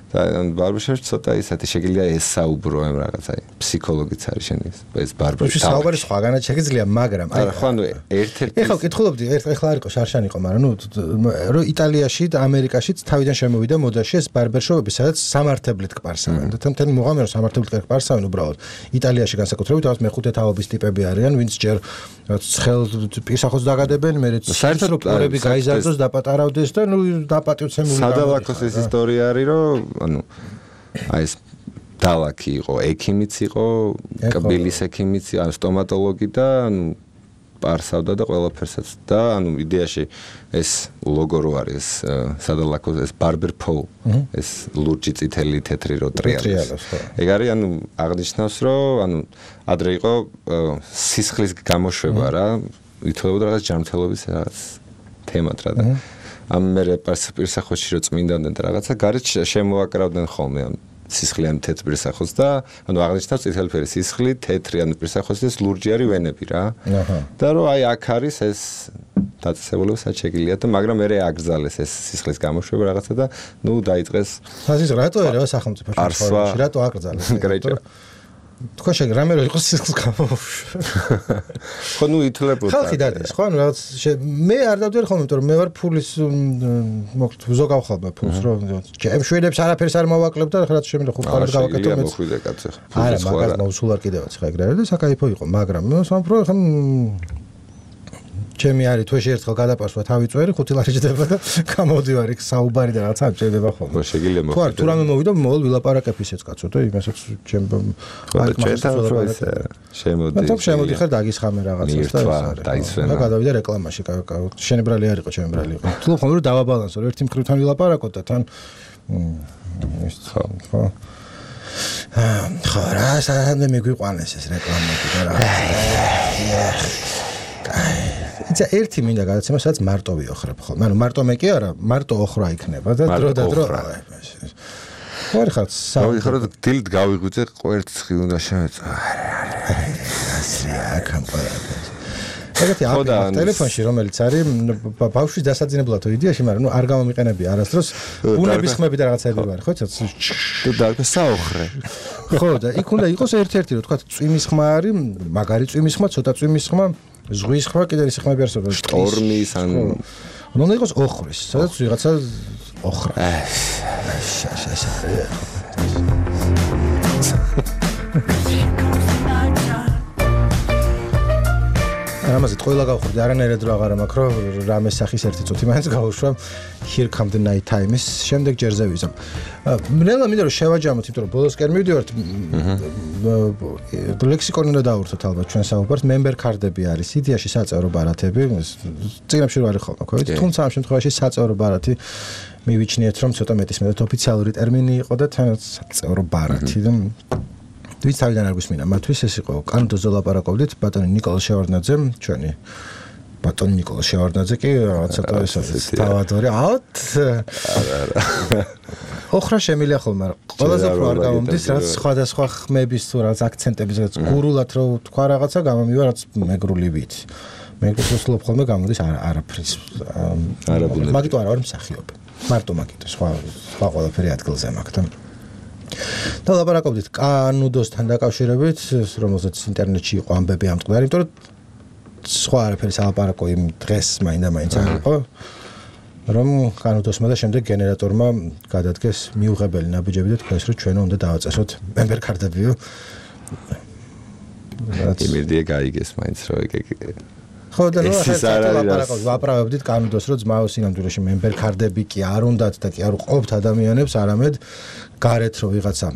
და ბარბერშოპში ცოტა ისეთი შეგიძლია ესაუბრო ამ რაღაცა ფსიქოლოგიც არის შენი ეს ბარბერში საუბარი სხვაგანაც შეგიძლია მაგრამ აი ხო ანუ ერთ-ერთი ეხლა ვკითხულობდი ეხლა არ იყო შარშან იყო მაგრამ ნუ რომ იტალიაში და ამერიკაშიც თავიდან შემოვიდა მოდაში ეს ბარბერშოპები სადაც სამართებლით კპარსავენ და თემთანი მოღამე რომ სამართებლით კპარსავენ უბრალოდ იტალიაში განსაკუთრებით თავის მეხუთე თაობის ტიპები არიან ვინც ჯერ ცხელ პირსახოს დაგადებენ მერე საერთოდ პრობლემები გაიზარდოს დაპატარავდეს და ნუ დაპატივცემული სადალაკოს ეს ისტორია არის რომ ანუ აი ეს დალაკი იყო ექიმიც იყო კბილის ექიმიც ან სტომატოლოგი და ანუ პარსავდა და ყველაფერსაც და ანუ იდეაში ეს ლოგო რო არის სადალაკოს ეს ბარბერ პოლ ეს ლურჯი წითელი თეთრი რო ტრიალებს ეგ არის ანუ აღნიშნავს რომ ანუ ადრე იყო სისხლის გამოშვება რა ითვლებოდა რაღაც ჯანმრთელობის რაღაც თემად რა და ამ მე პირსახოში რო წმინდანდნენ და რაღაცა გარეთ შემოაკრავდნენ ხოლმე ამ სისხლიან თეთრ პირსახოს და ანუ აღნიშნავს წითელი ფერი სისხლი თეთრი ანუ პირსახოს ეს ლურჯი არის ვენები რა და რომ აი აქ არის ეს დაწესებულება სადაც შეგიძლია და მაგრამ მე აკრძალეს ეს სისხლის გამოშვება რაღაცა და ნუ დაიწყეს ფაზის რატო ერევა სახელმწიფოში რატო აკრძალეს თქვენ შეგ რამე რო იყოს სისხლის გამოშვება ხო ნუ ითვლებოდა ხალხი დადეს ხო ანუ რაღაც მე არ დავდივარ ხოლმე იმიტომ რომ მე ვარ ფულის მოკლედ ზოგავხალბა ფულს რომ ჩემ შვედებს არაფერს არ მოვაკლებთ და ხალხი შემიძლია ხუთ ხალხს გავაკეთო მეც მოხვიდე კაცი არა მაგას მოусულ არ კიდევაც ხა ეგ რა და საკაიფო იყო მაგრამ მე სამფრო ხა ჩემი არის თვეში ერთხელ გადაპარსვა თავი წვერი 5 ლარი ჯდება და გამოდივარ იქ საუბარი და რაღაცა ჭირდება ხოლმე. ხო შეგიძლია მოხდეს. თუ რამე მოვიდა მოვალ ვილაპარაკებ ისეც კაცო და იმასაც ჩემ შემოდი. და შემოდი ხარ დაგისხამე რაღაცას და ეს არის. და გადავიდა რეკლამაში შენებრალი არ იყო ჩემებრალი იყო. თუ ხომ რომ დავაბალანსო ერთი მხრიდან ვილაპარაკოთ და თან ხო რა სანამ მეგვიყვანეს ეს რეკლამები და რაღაცა. იცი ერთი მინდა გადაცემა სადაც მარტო ვიოხრებ ხოლმე. ანუ მარტო მე კი არა, მარტო ოხრა იქნება და დრო და დრო. ორი ხალხ ხარ და დილით გავიღვიძე ყვერც ხი უნდა შემეწა. ასია კამპანა. ეგეთი აპი ტელეფონში რომელიც არის ბავშვის დასაძინებლად იდეაში, მაგრამ ნუ არ გამომიყენებია არასდროს ბუნების ხმები და რაღაცები ვარ, ხო? და საოხრე. ხო და იქ უნდა იყოს ერთ-ერთი რომ თქვა წვიმის ხმა არის, მაგარი წვიმის ხმა, ცოტა წვიმის ხმა, ზღვის ხმა, კიდე ის ხმები არსებობს. შტორმის ან უნდა იყოს ოხრის, სადაც ვიღაცა ოხრა. ამაზე ყველა გავხურდი არანაირად რა აღარა მაქვს რომ რამე სახის ერთი წუთი მაინც გავუშვა Here Come the Night Time-ის შემდეგ ჯერზე ვიზამ. ნელა მინდა რომ შევაჯამოთ, იმიტომ რომ ბოლოსკენ მივდივართ ლექსიკონი უნდა დავურთოთ ალბათ ჩვენ საუბარს, member card-ები არის იდეაში საწევრო ბარათები, წიგნებში რა არის ხოლმე, ხო ვიცი, თუმცა ამ შემთხვევაში საწევრო ბარათი მივიჩნიეთ რომ ცოტა მეტისმეტად ოფიციალური ტერმინი იყო და თან საწევრო ბარათი და ვიც თავიდან არ გვისმინა მათთვის ეს იყო კანონზე ლაპარაკობდით ბატონი ნიკოლოზ შევარდნაძე ჩვენი ბატონი ნიკოლოზ შევარდნაძე კი ცოტა ეს თავადორი აუთ ოხრა შემილია ხოლმე ყველაზე უფრო არ გამომდის რაც სხვადასხვა ხმების თუ რაც აქცენტების რაც გურულად რო თქვა რაღაცა გამომივა რაც მეგრული ვიცი მეგრულს ვსლობ ხოლმე გამოდის არაფრის არაბულები მაგიტო არა ვარ მსახიობი მარტო მაგიტო სხვა ყველაფერი ადგილზე მაქვს და და ლაპარაკობდით კანუდოსთან დაკავშირებით, რომელზეც ინტერნეტში იყო ამბები ამწყდარი, იმიტომ რომ სხვა არაფერი სალაპარაკო იმ დღეს მაინდა-მაინც არ იყო რომ კანუდოსმა და შემდეგ გენერატორმა გადადგეს მიუღებელი ნაბიჯები და თქვენს რომ ჩვენ უნდა დავაწესოთ member card-ებიო იმედია გაიგეს მაინც რომ ხო და ნუ ვაპრავებდით კანუდოს რომ ძმაო სინამდვილეში member card-ები კი არ უნდათ და კი არ უყოფთ ადამიანებს არამედ გარეთ რომ ვიღაცა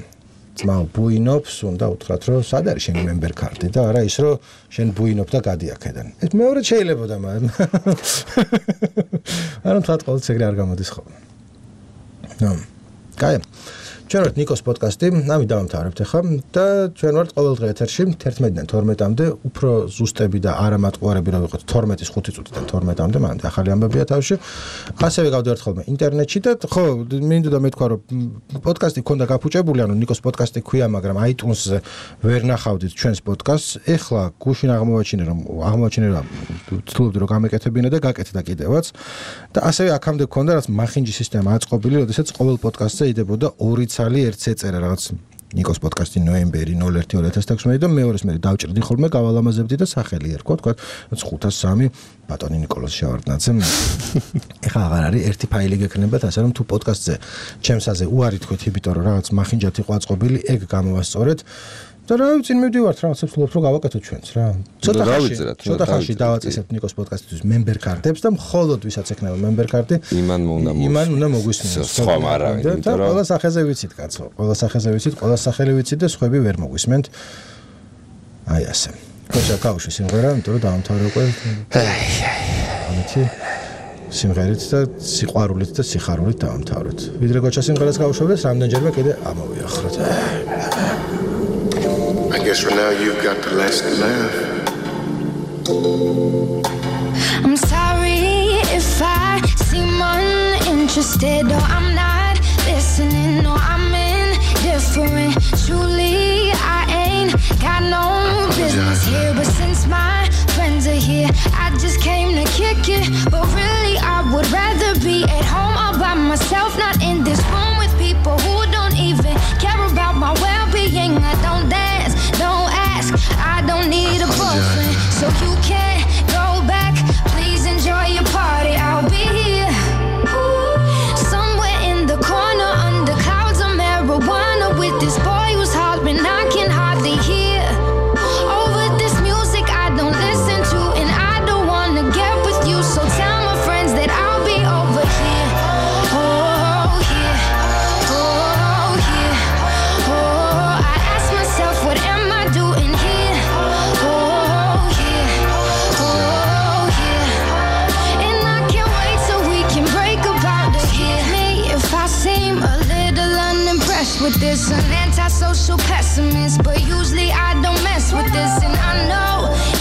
ძმაო ბუინობს უნდა უთხრათ რომ სად არის შენი member card-ი და არა ის რომ შენ ბუინობ და გადი აქედან ეს მეორე შეიძლებოდა მაგრამ არ უნდა ყოველთვის ეგრე არ გამოდის ხოლმე კაი ჩვენ ვართ ნიკოს პოდკასტი, ამით დავამთავრებთ ახლა და ჩვენ ვართ ყოველდღე ეთერში 11-დან 12-მდე, უფრო ზუსტები და არამატყუარები რა ვიყოთ 12-ის 5 წუთიდან 12-მდე, მანამდე ახალი ამბებია თავში. ასევე გავდივართ ხოლმე ინტერნეტში და ხო, მინდოდა მეთქვა რომ პოდკასტი ქონდა გაფუჭებული, ანუ ნიკოს პოდკასტი ქვია, მაგრამ iTunes-ზე ვერ ნახავდით ჩვენს პოდკასტს. ეხლა გუშინ აღმოაჩინე რომ ვცდილობდი რომ გამეკეთებინა და გაკეთდა კიდევაც. და ასევე აქამდე ქონდა რაც მახინჯი სისტემა აწყობილი, როდესაც ყოველ პოდკასტზე იდებოდა 2 ცალი ერთს ეწერა რაღაც ნიკოს პოდკასტი ნოემბერი 01/2016 და მეორეს მე დავჭრდი ხოლმე გავალამაზებდი და სახელი ერქვა თქვა 503 ბატონი ნიკოლოზ შევარდნაძე ეხლა აღარ არის ერთი ფაილი გექნებათ ასე რომ თუ პოდკასტზე ჩემსაზე უარი თქვით იმიტომ რომ რაღაც მახინჯად იყო აწყობილი ეგ გამოვასწორეთ და რა ვიცი მივდივართ რაღაცებს ვფლობთ რომ გავაკეთოთ ჩვენც რა ცოტა ხანში დავაწესებთ ნიკოს პოდკასტისთვის member card-ებს და მხოლოდ ვისაც ექნება member card-ი იმან უნდა მოგვისმინოს სხვა არავინ იმიტომ რომ ყველა სახეზე ვიცით კაცო ყველა სახეზე ვიცით ყველა სახელი ვიცით და სხვები ვერ მოგვისმენთ აი ასე კოშა კაუში სიმღერა იმიტომ რომ დაამთავრე უკვე ამეთი სიმღერით და სიყვარულით და სიხარულით დაამთავრეთ ვიდრე კოშა სიმღერას გავუშვებდეს რამდენჯერმე კიდე ამოვიახროთ I guess for now you've got the last laugh. I'm sorry if I seem uninterested or I'm not listening or I'm indifferent. Truly, I ain't got no business here, but since my friends are here, I just came to kick it. But really, I would rather be at home all by myself, not in this room with people who don't even care about my well-being. I don't dance. Don't ask, I don't need a boyfriend, so you can't go back. Please enjoy your party. I'll be here, somewhere in the corner under clouds of marijuana with this boy who's hollering I can hardly hear. Over this music I don't listen to, and I don't wanna get with you. So tell my friends that I'll be over here. Oh here, oh here, oh. I ask myself what am I doing here? Oh here, oh here, and I can't wait till we can break about it here. Me if I seem a little unimpressed with this, an antisocial pessimist, but usually I don't mess with this, and I know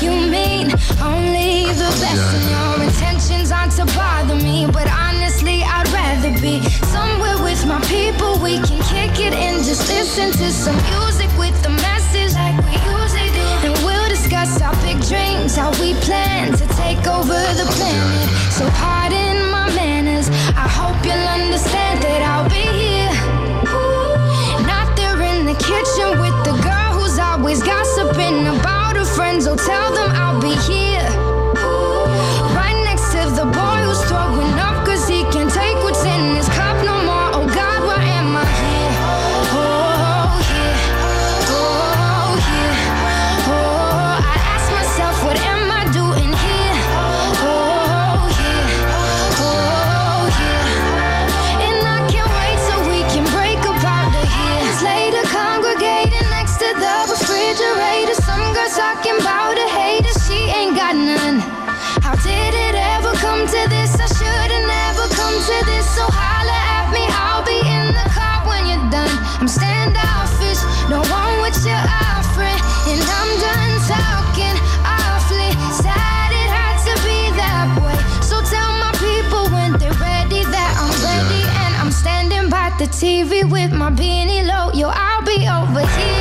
you mean only the best, and your intentions aren't to bother me, but honestly I'd rather be somewhere with my people. We can kick it and just listen to some music with the message like we usually do, and we'll discuss our big dreams, how we plan to take over the planet. So pardon my manners, I hope you'll understand that I'll be here, not there in the kitchen with the girl who's always gossiping about her friends. Oh, tell them I'll be here, right next to the boy who's throwing up cause he can't take what's in his cup no more. Oh God, why am I here? Oh here, oh here, oh. I ask myself what am I doing here? Oh here, oh here, and I can't wait till we can break about it here. Later congregating next to the refrigerator, some girls talking about a hater, she ain't got none. How did it ever come to this? I should've never come to this. So holla at me, I'll be in the car when you're done. I'm standoffish, don't want what you're offering, and I'm done talking awfully. Sad it had to be that way. So tell my people when they're ready that I'm ready, and I'm standing by the TV with my beanie low. Yo, I'll be over here.